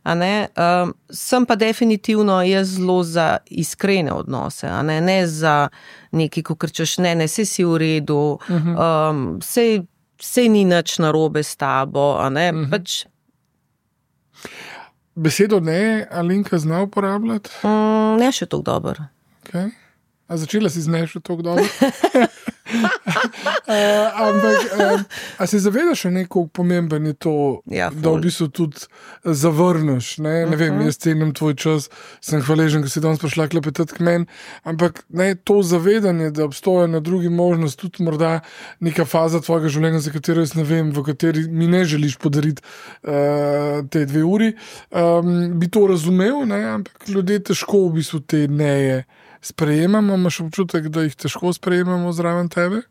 a ne? Um, sem pa definitivno jaz zelo za iskrene odnose, a ne, ne za nekaj, ko krčeš, ne, ne, sej si v redu, uh-huh. um, sej, sej ni nič narobe s tabo, a ne, uh-huh. pač. Besedo ne, Alenka zna uporabljati? Mm, ne še toliko dobro. Okay. A začela si z ne še toliko dobro? uh, ampak, um, a se zavedaš še neko pomemben je to, ja, da v bistvu tudi zavrneš, ne, ne uh-huh. vem, jaz cenim tvoj čas, sem hvaležen, ko si danes prišla klepetati k meni, ampak ne, to zavedanje, da obstoja na drugi možnost, tudi morda neka faza tvojega življenja, za katero jaz ne vem, v kateri mi ne želiš podariti uh, te dve uri, um, bi to razumel, ne, ampak ljudje težko v bistvu te neje sprejemamo, imaš občutek, da jih težko sprejemamo zraven tebe?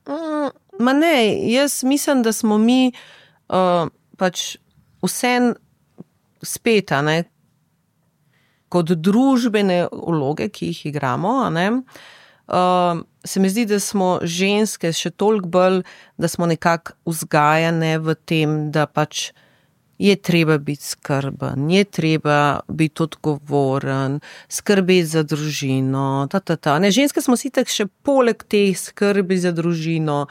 Mm, ma ne, jaz mislim, da smo mi uh, pač vsem spet, a ne, kot družbene vloge, ki jih igramo, a ne, uh, se mi zdi, da smo ženske še toliko bolj, da smo nekako vzgajane v tem, da pač je treba biti skrben, je treba biti odgovoren, skrbeti za družino, ta, ta, ta. Ne, ženske smo si tak še poleg teh skrbi za družino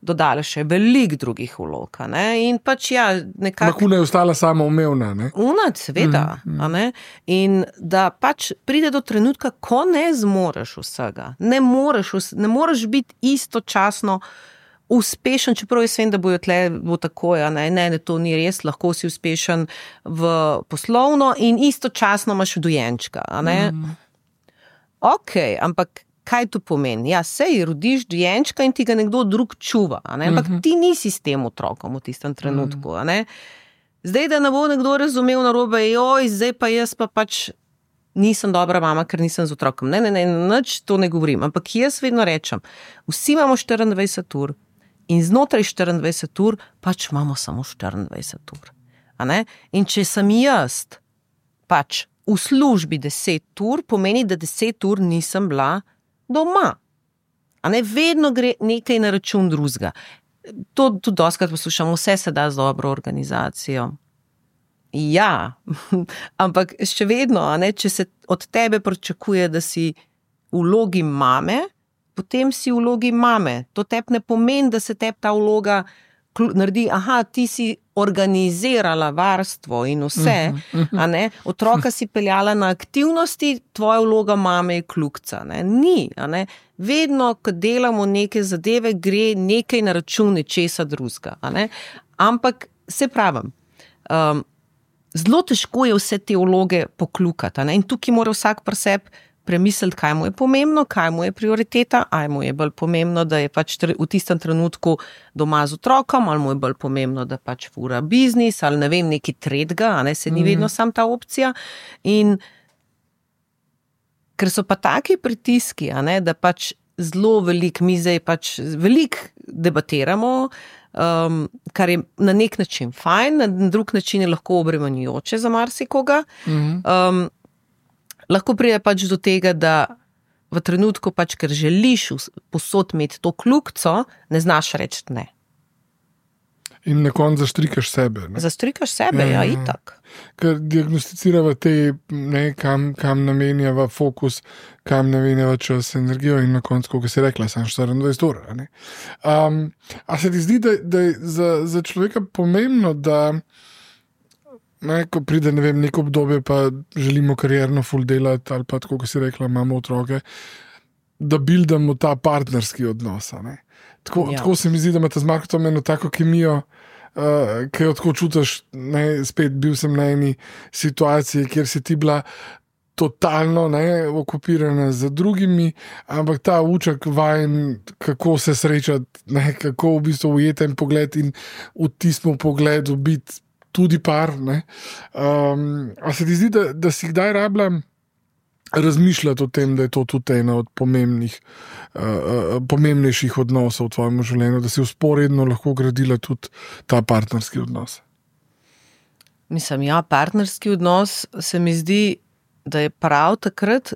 dodali še veliko drugih vlog, ne, in pač ja, nekako... Ampak una je ostala samoumevna, ne? Una, seveda, mm, mm. a ne, in da pač pride do trenutka, ko ne zmoreš vsega, ne moreš, ne moreš biti istočasno uspešen, čeprav jaz vem, da bojo tle bo tako, ja, ne, ne, ne, to ni res, lahko si uspešen v poslovno in istočasno imaš dojenčka, a ne. Mm. Ok, ampak kaj to pomeni? Ja, sej rodiš dojenčka in ti ga nekdo drug čuva, a ne, ampak mm-hmm. ti nisi s tem otrokom v tistem trenutku, a ne. Zdaj, da ne bo nekdo razumel narobe, joj, zdaj pa jaz pa pač nisem dobra mama, ker nisem z otrokom. Ne, ne, ne, nič to ne govorim, ampak jaz vedno rečem, vsi imamo štiriindvajset ur, in znotraj štiriindvajset ur pač imamo samo štiriindvajset ur. A ne? In če sem jaz pač v službi deset ur, pomeni, da deset ur nisem bila doma. A ne? Vedno gre nekaj na račun drugega. To tudi dostikrat poslušam, vse se da z dobro organizacijo. Ja, ampak še vedno, a ne? Če se od tebe pričakuje, da si v vlogi mame, potem si v vlogi mame. To tebi ne pomeni, da se tebi ta vloga naredi, aha, ti si organizirala varstvo in vse, a ne, otroka si peljala na aktivnosti, tvoja vloga mame je kljukca, ne, ni, a ne, vedno, ko delamo neke zadeve, gre nekaj na račun nečesa drugega, a ne, ampak se pravim, um, zelo težko je vse te vloge pokljukati, a ne, in tukaj mora vsak pri sebi premisliti, kaj mu je pomembno, kaj mu je prioriteta, ali mu je bolj pomembno, da je pač v tistem trenutku doma z otrokom, ali mu je bolj pomembno, da pač fura biznis, ali ne vem, neki tretjega, a ne, se ni vedno sam ta opcija. In ker so pa taki pritiski, a ne, da pač zelo veliko, mi zdaj pač veliko debatiramo, um, kar je na nek način fajn, na drug način je lahko obremenjujoče za marsikoga. Um, Lahko pride pač do tega, da v trenutku pač, ker želiš posod imeti to kljukco, ne znaš reči ne. In na koncu zaštrikaš sebe. Ne? Zaštrikaš sebe, ja, ja itak. Ker diagnosticirava te, ne, kam, kam namenjava fokus, kam namenjava čas, energijo in na koncu, kako si rekla, sam štiriindvajset ur. Ne? Um, a se ti zdi, da, da je za, za človeka pomembno, da Ne, ko pride, ne vem, neko obdobje, pa želimo karierno ful delati, ali pa tako, kot si rekla, imamo otroke, da buildamo ta partnerski odnos. Tako, ja. tako se mi zdi, da imate z Markom eno tako kemijo, uh, ki jo tako čutiš, ne, spet bil sem na eni situaciji, kjer si ti bila totalno ne, okupirana z drugimi, ampak ta uček vajen, kako se srečati, ne, kako v bistvu ujeten pogled in v tistem pogledu biti tudi par, ne. Um, a se ti zdi, da, da si kdaj rabila razmišljati o tem, da je to tudi ena od pomembnih, uh, pomembnejših odnosov v tvojem življenju, da si usporedno lahko gradila tudi ta partnerski odnos? Mislim, ja, partnerski odnos se mi zdi, da je prav takrat,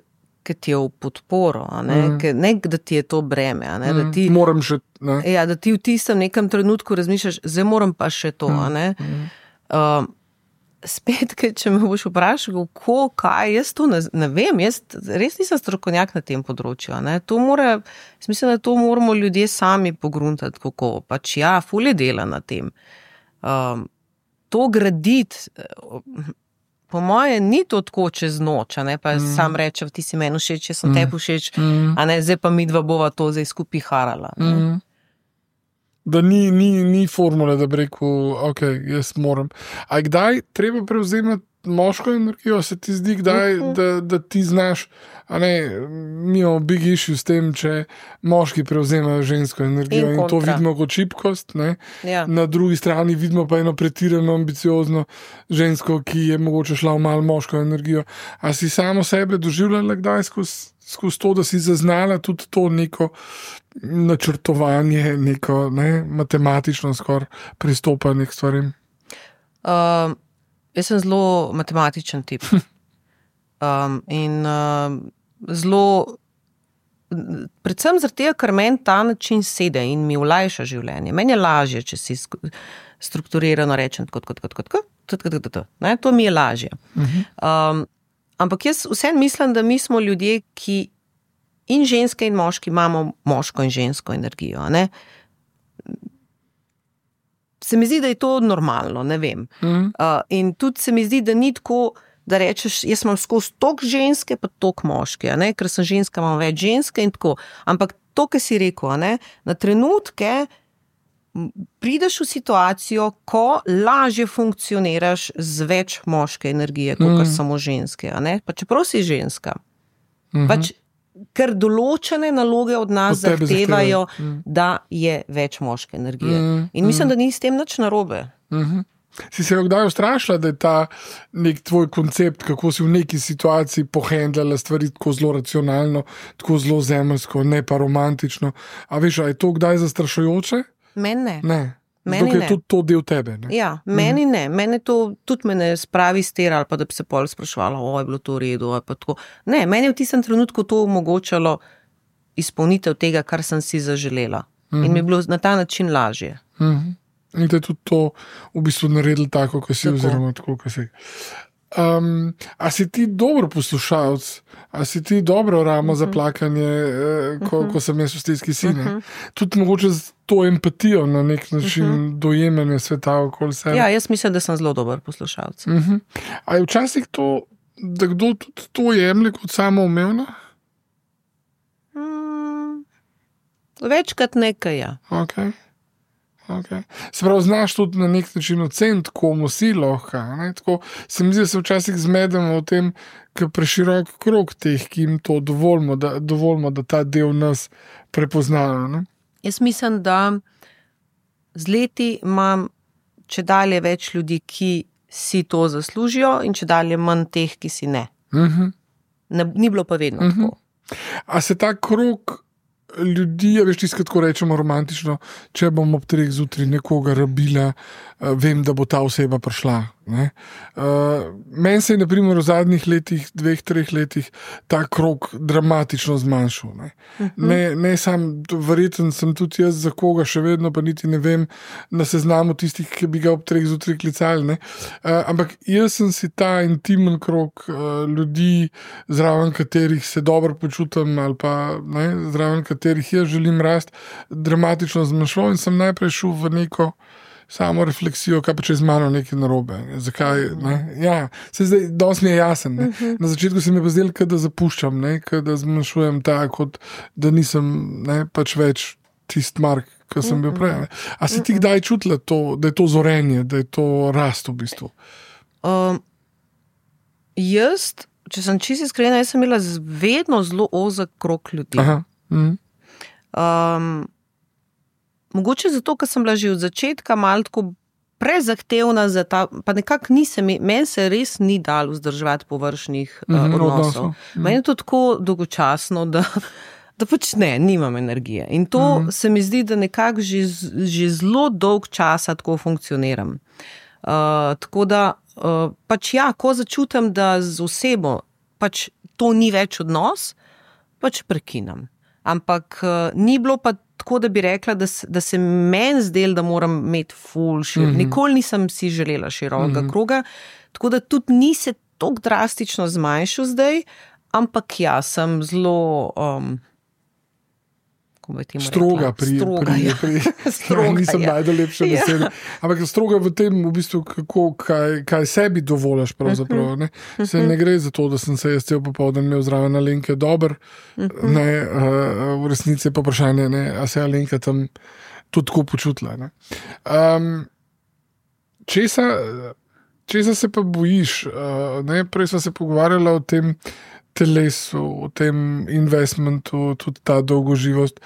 ker ti je v podporo, a ne, mm. Ker, ne da ti je to breme, a ne, mm. da ti... Moram še, ne. Ja, da ti v tistem nekem trenutku razmišljaš, zdaj moram pa še to, mm. a ne. Mm. Um, spet, če me boš vprašal, kako, kaj, jaz to ne, ne vem, jaz res nisem strokovnjak na tem področju, ne, to mora, mislim, da to moramo ljudje sami pogruntati, kako, pač ja, ful je dela na tem. Um, to graditi, po moje, ni to tako čez noč, a ne, pa mm. sam rečem, ti si meni všeč, jaz sem mm. tebi všeč, mm. a ne, zdaj pa midva bova to zdaj skupaj harala. Mm. Da ni, ni, ni formule, da bi rekel, ok, jaz moram. A kdaj treba prevzemati moško energijo, se ti zdi, kdaj, uh-huh. da, da ti znaš, a ne, mi imamo big issue s tem, če moški prevzemajo žensko energijo in, in to vidimo kot šibkost, ne. Ja. Na drugi strani vidimo pa eno pretirano ambiciozno žensko, ki je mogoče šla v malo moško energijo. A si samo sebe doživljala kdaj skozi skozi to, da si zaznala tudi to neko načrtovanje, neko ne, matematično skoraj pristopanje k stvarem? Uh, jaz sem zelo matematičen tip. Um, in uh, zelo, predvsem zaradi tega, ker meni ta način sede in mi olajša življenje. Meni je lažje, če si strukturirano rečem, kot, kot, kot, kot, kot, kot, kot, kot, ne, to mi je lažje. Uh-huh. Um, Ampak jaz vsem mislim, da mi smo ljudje, ki in ženske in moški imamo moško in žensko energijo. Ne? Se mi zdi, da je to normalno, ne vem. Mm. Uh, in tudi se mi zdi, da ni tako, da rečeš, jaz imam skozi tok ženske, pa tok moške, ne? Ker sem ženska, imam več ženske in tako. Ampak to, kar si rekel, ne? Na trenutke prideš v situacijo, ko lažje funkcioniraš z več moške energije, kot mm. samo ženske. A ne? Pa čeprav si ženska. Mm-hmm. Pač, ker določene naloge od nas od zahtevajo, mm. da je več moške energije. Mm. In mislim, da ni s tem nič narobe. Mm-hmm. Si se kdaj ustrašila, da je ta nek tvoj koncept, kako si v neki situaciji pohendljala stvari tako zelo racionalno, tako zelo zemeljsko, ne pa romantično. A veš, a je to kdaj zastrašujoče? Meni ne. Ne. Zato je tudi to del tebe. Ne? Ja, meni mm. ne. Meni to tudi me ne spravi stera, ali pa da bi se pol spraševala, o, je bilo to v redu, ali pa tako. Ne, meni je v tistem trenutku to omogočalo izpolnitev tega, kar sem si zaželela. Mm. In mi je bilo na ta način lažje. Mm. In da je tudi to v bistvu naredilo tako, kot si, tako. Oziroma tako, kot si. Um, a si ti dober poslušalec, a si ti dobro ramo uh -huh. za plakanje, eh, ko, uh -huh. ko sem jaz v stiski sine. Uh -huh. Tudi mogoče z to empatijo na nek način uh -huh. dojemanje sveta okoli sebe. Ja, jaz mislim, da sem zelo dober poslušalec. Uh -huh. A je včasih to, da kdo tudi to jemlje kot samoumevno? Hmm, večkrat nekaj, ja. Okay. Okay. Se pravi, znaš tudi na nek način oceniti, komu si lahko. Tako se mi zdi, da se včasih zmedemo v tem, ker preširok krog teh, ki jim to dovolimo, da, dovolimo, da ta del nas prepoznajo. Ne? Jaz mislim, da z leti imam če dalje več ljudi, ki si to zaslužijo in če dalje manj teh, ki si ne. Uh -huh. ne ni bilo pa vedno uh -huh. tako. A se ta krog ljudi, a veš, tisto, tako rečemo romantično, če bom ob treh zjutraj nekoga rabila, uh, vem, da bo ta oseba prišla. Uh, Meni se je na primer v zadnjih letih, dveh, treh letih ta krog dramatično zmanjšal. Ne, uh -huh. ne, ne sam, verjeten sem tudi jaz za koga, še vedno pa niti ne vem na seznamu tistih, ki bi ga ob treh zjutraj klicali. Ne. Uh, ampak jaz sem si ta intimen krog uh, ljudi, zraven katerih se dobro počutim ali pa ne, zraven katerih jaz želim rast, dramatično zmanjšal in sem najprej šel v neko samo refleksijo, kaj pa če je z mano nekaj narobe. Zakaj? Ne? Ja, se zdaj dosti mi je jasen. Ne? Na začetku se mi je pa zdelo, da zapuščam, ne? Da zmanjšujem tako, kot da nisem ne, pač več tist Mark, ki sem bil prej. Ne? A si ti kdaj čutila to, da je to zorenje, da je to rast v bistvu? Um, jaz, če sem čisto iskrena, jaz sem imela vedno zelo ozek krog ljudi. Aha. Mhm. Um, Mogoče zato, ker sem bila že od začetka malo tako prezahtevna za ta, pa nekako nisem, meni se res ni dalo vzdrževati površnih uh, Mhm, odnosov. odnosov. Mhm. Meni je to tako dolgočasno, da, da pač ne, nimam energije. In to Mhm. se mi zdi, da nekako že, z- že zelo dolg časa tako funkcioniram. Uh, tako da uh, pač ja, ko začutim, da z osebo pač to ni več odnos, pač prekinem. Ampak uh, ni bilo pa tako, da bi rekla, da, se- da se meni zdel, da moram imeti ful šir. Mm -hmm. Nikoli nisem si želela širokega mm -hmm. kroga, tako da tudi ni se tako drastično zmanjšal zdaj, ampak ja, sem zelo um, kako bi temu Stroga rekla? pri, Stroga, pri, ja. pri, Stroga, nisem ja. najdel lepše Ja. besede. Ampak stroga v tem, v bistvu, kako, kaj, kaj sebi dovoliš. Pravzaprav, ne? Se ne gre za to, da sem se jaz cel popoldan imel zraven Alenke dober. Ne, uh, v resnici je pa vprašanje, ne, a se je Alenka tam tudi tako počutila. Ne? Um, česa, česa se pa bojiš? Uh, ne? Prej smo se pogovarjali o tem telesu, o tem investmentu, tudi ta dolgoživost.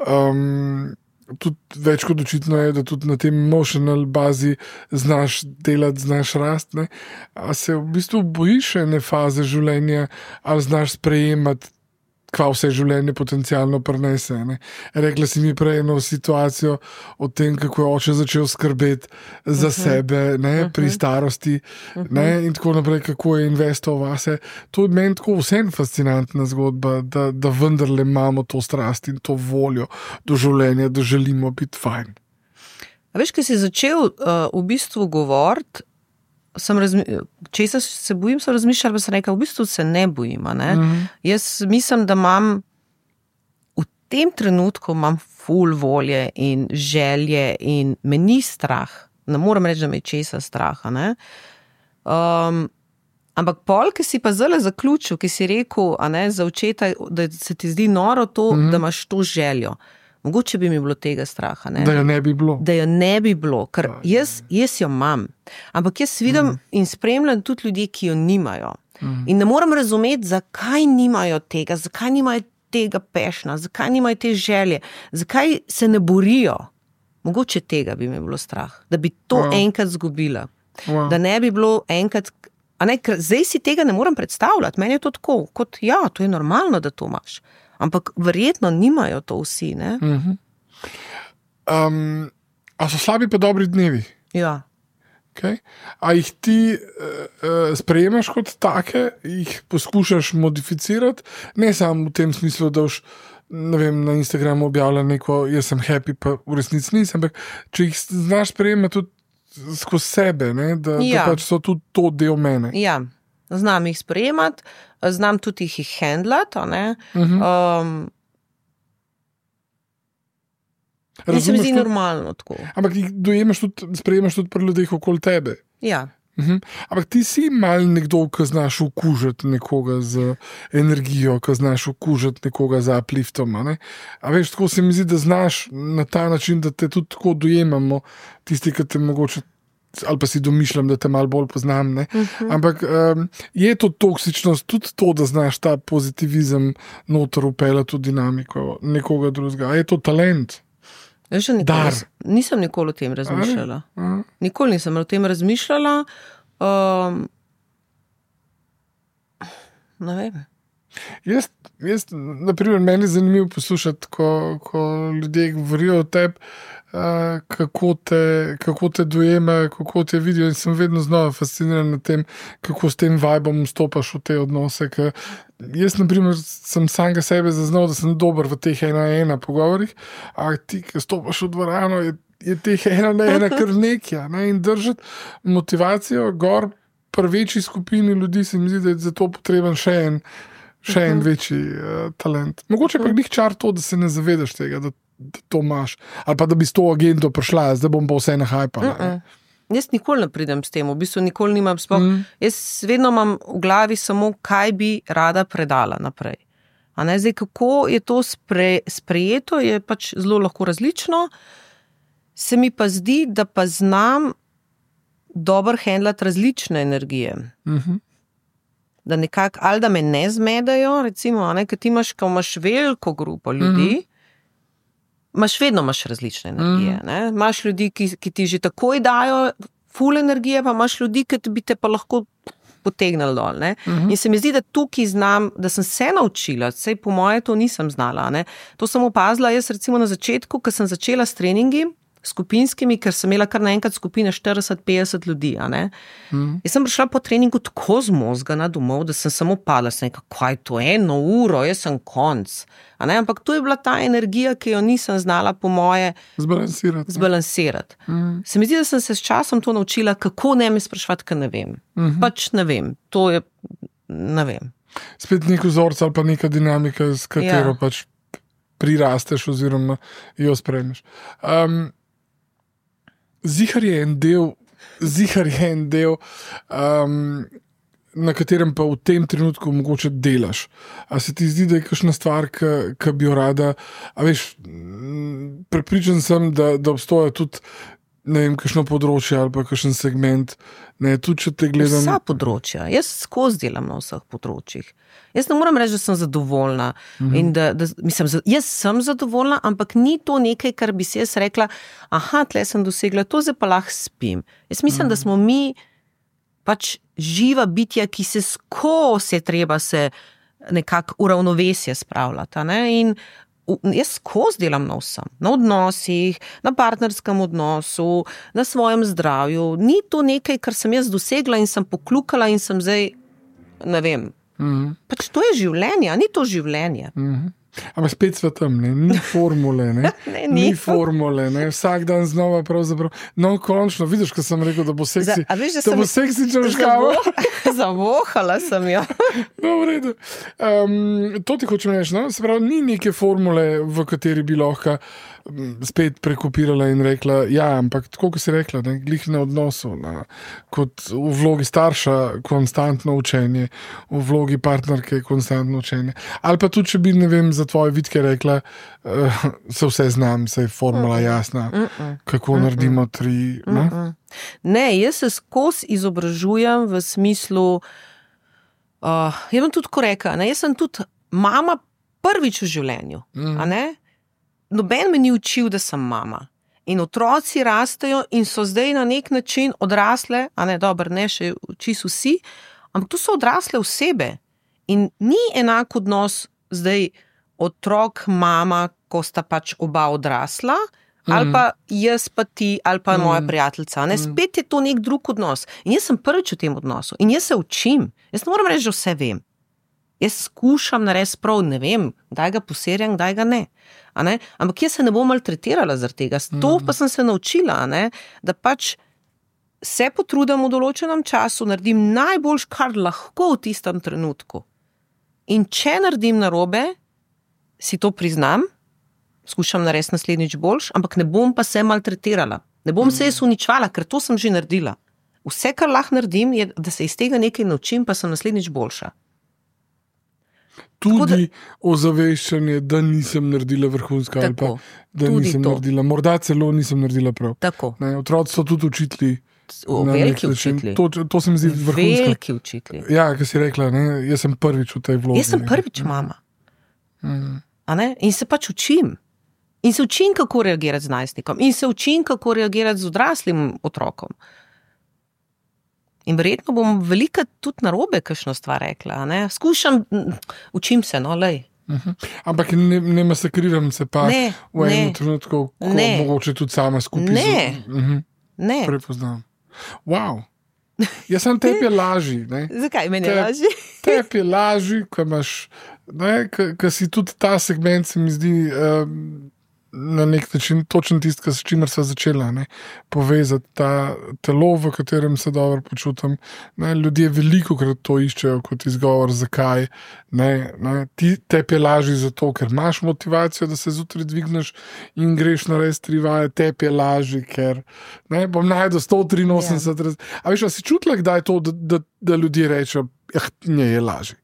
Um, tudi več kot očitno je, da tudi na tem emotional bazi znaš delati, znaš rast. Ne? A se v bistvu bojiš ene faze življenja, ali znaš sprejemati, kva vse življenje potencialno prinese. Ne? Rekla si mi prej eno situacijo o tem, kako je oče začel skrbeti za uh -huh. sebe ne? Uh -huh. pri starosti uh -huh. ne? in tako naprej, kako je investoval vase. To je meni tako vsem fascinantna zgodba, da, da vendarle imamo to strast in to voljo do življenja, da želimo biti fajn. A veš, ko si začel uh, v bistvu govoriti, sem razmi... česa se bojim, sem razmišljala, pa sem rekla, v bistvu se ne bojim. a Ne? Mm-hmm. Jaz mislim, da imam v tem trenutku imam ful volje in želje in me ni strah. Ne morem reči, da me je česa strah. a Ne? Um, ampak pol, ki si pa zelo zaključil, ki si rekel, a ne, za očeta, da se ti zdi noro to, mm-hmm. da imaš to željo. Mogoče bi mi bilo tega straha. Ne? Da jo ne bi bilo. Da jo ne bi bilo, ker jaz, jaz jo imam. Ampak jaz vidim mm. in spremljam tudi ljudi, ki jo nimajo. Mm. In ne morem razumeti, zakaj nimajo tega, zakaj nimajo tega pešna, zakaj nimajo te želje, zakaj se ne borijo. Mogoče tega bi mi bilo strah, da bi to wow. enkrat zgubila. Wow. Da ne bi bilo enkrat. A ne, ker zdaj si tega ne morem predstavljati. Meni je to tako, kot ja, to je normalno, da to imaš. Ampak verjetno nimajo to vsi, ne? Uh-huh. Um, a so slabi pa dobri dnevi? Ja. Okay. A jih ti uh, sprejemaš kot take, jih poskušaš modificirati, ne samo v tem smislu, da už, ne vem, na Instagramu objavlja neko, jaz sem happy, pa v resnici nisem, ampak če jih znaš sprejemati tudi skozi sebe, ne? Da, Ja. da pač so tudi to del mene. Ja, znam jih sprejemati, znam tudi jih handlati, a ne. Um, in se mi zdi tudi, normalno tako. ampak jih dojemaš tudi, sprejemaš tudi pri ljudeh okoli tebe. Ja. Mhm. Ampak ti si mal nekdo, ki znaš okužiti nekoga z energijo, ki znaš okužiti nekoga z upliftom. A, ne? A veš, tako se mi zdi, da znaš na ta način, da te tudi tako dojemamo, tisti, ki te mogoče, ali pa si domišljam, da te malo bolj poznam. Ne? Uh-huh. Ampak um, je to toksičnost, tudi to, da znaš ta pozitivizem noter upeljati v dinamiko nekoga drugega. A je to talent? Jaz še nikoli, nisem nikoli o tem razmišljala. Nikoli nisem o tem razmišljala. Um, ne vem. Jaz, jaz naprimer, meni je zanimivo poslušati, ko, ko ljudje govorijo o tebi, uh, kako, kako te dojemajo, kako te vidijo, in sem vedno znova fasciniran nad tem, kako s tem vibom stopaš v te odnose. Jaz, na primer, sem samega sebe zaznal, da sem dober v teh ena ena pogovorih, a ti, ki stopaš v dvorano, je, je teh ena na ena kar nekja. Ne? In držati motivacijo gor pri večji skupini ljudi, se mi zdi, da je za to potreben še en, še en večji uh, talent. Mogoče pa glih čar to, da se ne zavedaš tega, da, da to imaš. Ali pa da bi s to agendo prišla, zdaj bom pa vse nahajpala. Uh -uh. Jaz nikoli ne pridem s tem, v bistvu nikoli nimam sploh. Mm. Jaz vedno imam v glavi samo, kaj bi rada predala naprej. A ne, zdaj, kako je to spre, sprejeto, je pač zelo lahko različno. Se mi pa zdi, da pa znam dobro handlati različne energije. Mm-hmm. Da nekako, ali da me ne zmedajo, recimo, a ne, ker ti imaš, ko imaš veliko grupo ljudi, mm-hmm. Imaš vedno imaš različne energije. Mm. Imaš ljudi, ki, ki ti že takoj dajo ful energije, pa imaš ljudi, ki bi te pa lahko potegnili dol. Ne? Mm-hmm. In se mi zdi, da tukaj znam, da sem se naučila, sej po moje to nisem znala. Ne? To sem opazila jaz recimo na začetku, ko sem začela s treningi skupinskimi, ker sem imela kar naenkrat skupine štirideset petdeset ljudi. A ne? Mm. Jaz sem prišla po treningu tako zmozgana domov, da sem samo padla, sem rekla, kaj to je, eno uro, jaz sem konc. A ne? Ampak to je bila ta energija, ki jo nisem znala po moje zbalansirati. zbalansirati. Mm. Se mi zdi, da sem se s časom to naučila, kako ne me sprašvati, ker ne vem. Mm-hmm. Pač ne vem, to je, ne vem. Spet nek vzorc ali pa neka dinamika, s katero ja. pač prirasteš oziroma jo spremeš. Um, Zihar je en del, zihar je en del, um, na katerem pa v tem trenutku mogoče delaš. A se ti zdi, da je kakšna stvar, ki bi jo rada, a veš, prepričan sem, da, da obstoja tudi, ne vem, kakšno področje ali pa kakšen segment, ne, tudi če te gledam. Vsa področja, jaz skozi delam na vseh področjih. Jaz ne moram reči, da sem zadovoljna. Mm-hmm. In da, da, mislim, jaz sem zadovoljna, ampak ni to nekaj, kar bi si jaz rekla, aha, tle sem dosegla, to zdaj pa lahko spim. Jaz mislim, mm-hmm. da smo mi pač živa bitja, ki se skozi je treba se nekako uravnovesje spravljati. Ne? In jaz skozi delam na vsem, na odnosih, na partnerskem odnosu, na svojem zdravju. Ni to nekaj, kar sem jaz dosegla in sem poklukala in sem zdaj, ne vem, mm-hmm. pač to je življenje, a ni to življenje. Mm-hmm. Ampak spet svetem, ne? Ni formule, ne? ne, ni. ni formule, ne? Vsak dan znova pravzaprav. No, končno, vidiš, ko sem rekel, da bo seksi, Za, veš, da to bo seksi črškava. Zavohala sem jo. No, v redu. Um, to ti hočem reči, no? Se pravi, ni neke formule, v kateri bi lahko spet prekopirala in rekla, ja, ampak tako, kot si rekla, ne, glih na odnosu, na, kot v vlogi starša konstantno učenje, v vlogi partnerke konstantno učenje. Ali pa tudi, če bi, ne vem, za tvoje vidke rekla, uh, se vse znam, se je formula jasna, Mm-mm. kako Mm-mm. naredimo tri. Ne? ne, jaz se skozi izobražujem v smislu, uh, jaz bom tudi ko rekla, ne, jaz sem tudi mama prvič v življenju, mm. a ne? Noben me ni učil, da sem mama. In otroci rastejo in so zdaj na nek način odrasle, a ne, dobro, ne še čisto vsi, ampak to so odrasle osebe. In ni enak odnos zdaj otrok, mama, ko sta pač oba odrasla, mm. ali pa jaz pa ti, ali pa mm. moja prijateljica. Ne? Spet je to nek drug odnos. In jaz sem prvič v tem odnosu. In jaz se učim. Jaz ne moram reči, da vse vem. Jaz skušam narediti prav, ne vem, kdaj ga poserjam, kdaj ga ne. A ne? Ampak jaz se ne bom maltretirala zaradi tega. To pa sem se naučila, a ne? Da pač se potrudim v določenem času, naredim najboljš, kar lahko v tistem trenutku. In če naredim narobe, si to priznam, skušam narediti naslednjič boljš, ampak ne bom pa se maltretirala. Ne bom se jaz uničvala, ker to sem že naredila. Vse, kar lahko naredim, je, da se iz tega nekaj naučim, pa sem naslednjič boljša. Tudi da, ozaveščanje, da nisem naredila vrhunska ali pa da nisem to. naredila. Morda celo nisem naredila prav. Tako. Ne, otroci so tudi učitelji. O, veliki učitelji. To, to se mi zdi vrhunsko. Veliki učitelji. Ja, kaj si rekla, ne? Jaz sem prvič v tej vlogi. Jaz sem prvič mama. Mm. A ne? In se pač učim. In se učim, kako reagirati z najstnikom. In se učim, kako reagirati z odraslim otrokom. In verjetno bom velika tudi narobe kakšno stvar rekla. Ne? Skušam, učim se, no, lej. Uh-huh. Ampak ne, ne masakriram se pa ne, v enem trenutku, ko ne. Mogoče tudi sama skupaj. Ne, z... uh-huh. ne. Prepoznam. Wow. Jaz sem tebi lažji. Ne? Zakaj meni je lažji? Tebi je lažji, ko imaš, ko si tudi ta segment, se mi zdi um, na nek način točen tisti, s čimer sva začela, ne? Povezati ta telo, v katerem se dobro počutim. Ne? Ljudje veliko krat to iščejo kot izgovor, zakaj. Ne? Ne? Ti tebi je lažji zato, ker imaš motivacijo, da se zjutraj dvigneš in greš na res tri vaje, tebi je lažji, ker ne? Bom najdel sto triinosemdeset. Yeah. A veš, a si čutila, kdaj je to, da, da, da ljudje rečejo, eh, ne je lažji?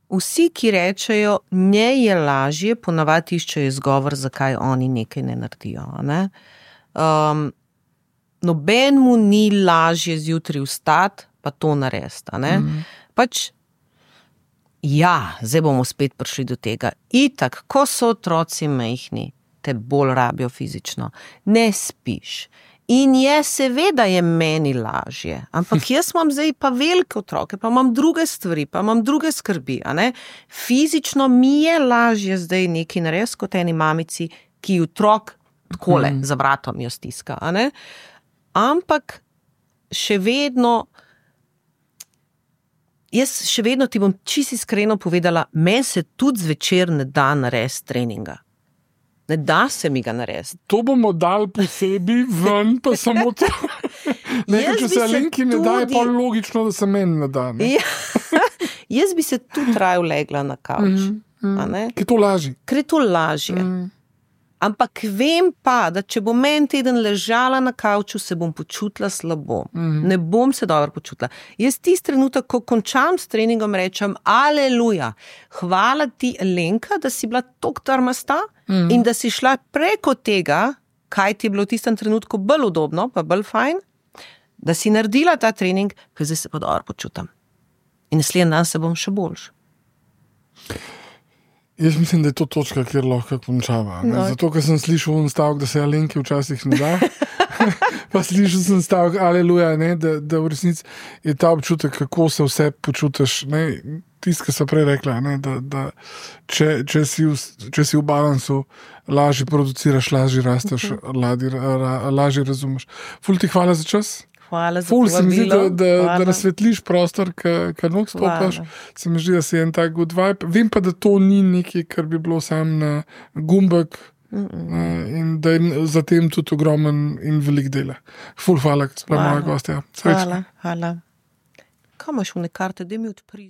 Vsi, ki rečejo, ne je lažje, ponavadi iščejo izgovor, zakaj oni nekaj ne naredijo. Ne? Um, noben mu ni lažje zjutraj vstati, pa to narediti. Mm. Pač, ja, zdaj bomo spet prišli do tega. Itak, ko so otroci majhni, te bolj rabijo fizično. Ne spiš. In je, seveda je meni lažje, ampak jaz imam zdaj pa velike otroke, pa imam druge stvari, pa imam druge skrbi. A ne? Fizično mi je lažje zdaj nekaj narediti kot eni mamici, ki otrok takole mm. za vratom jo stiska. A ne? Ampak še vedno, jaz še vedno ti bom čisto iskreno povedala, meni se tudi zvečer ne da narediti treninga. Ne da se mi ga narediti. To bomo dali posebej ven, pa samo to. Nekaj, če se Alenki ne tudi... da, je pa logično, da se meni ne da. Ne? Ja. Jaz bi se tudi raje legla na kavč. Mm, mm. Ker je to lažje. Ker je to lažje. Mm. Ampak vem pa, da če bom en teden ležala na kavču, se bom počutila slabo. Mm. Ne bom se dobro počutila. Jaz tisti trenutek, ko končam s treningom, rečem, aleluja, hvala ti, Alenka, da si bila toliko trmasta mm. in da si šla preko tega, kaj ti je bilo v tistem trenutku bolj udobno, pa bolj fajn, da si naredila ta trening, ker zdaj se pa dobro počutam. In naslednji dan se bom še boljš. Jaz mislim, da je to točka, kjer lahko končava. No. Zato, ker sem slišal en stavek, da se Alenki včasih ne da. Pa slišal sem stavek, aleluja, ne, da, da v resnici je ta občutek, kako se vse počutiš. Tisto, kar sem prej rekla, ne, da, da če, če, si v, če si v balansu, lažje produciraš, lažje rasteš, uh-huh. lažje, lažje razumeš. Ful ti hvala za čas. Hvala za Ful se mi zdi, da, da, da nasvetliš prostor, ki not stopaš. Se mi zdi, da si en tak good vibe. Vem pa, da to ni nekaj, kar bi bilo sam na gumbek uh, in da je za tem tudi ogromen in velik dela. Ful hvala, kot sploh moja gostja. Hvala, hvala. Kaj imaš v ne karte, da mi odpri?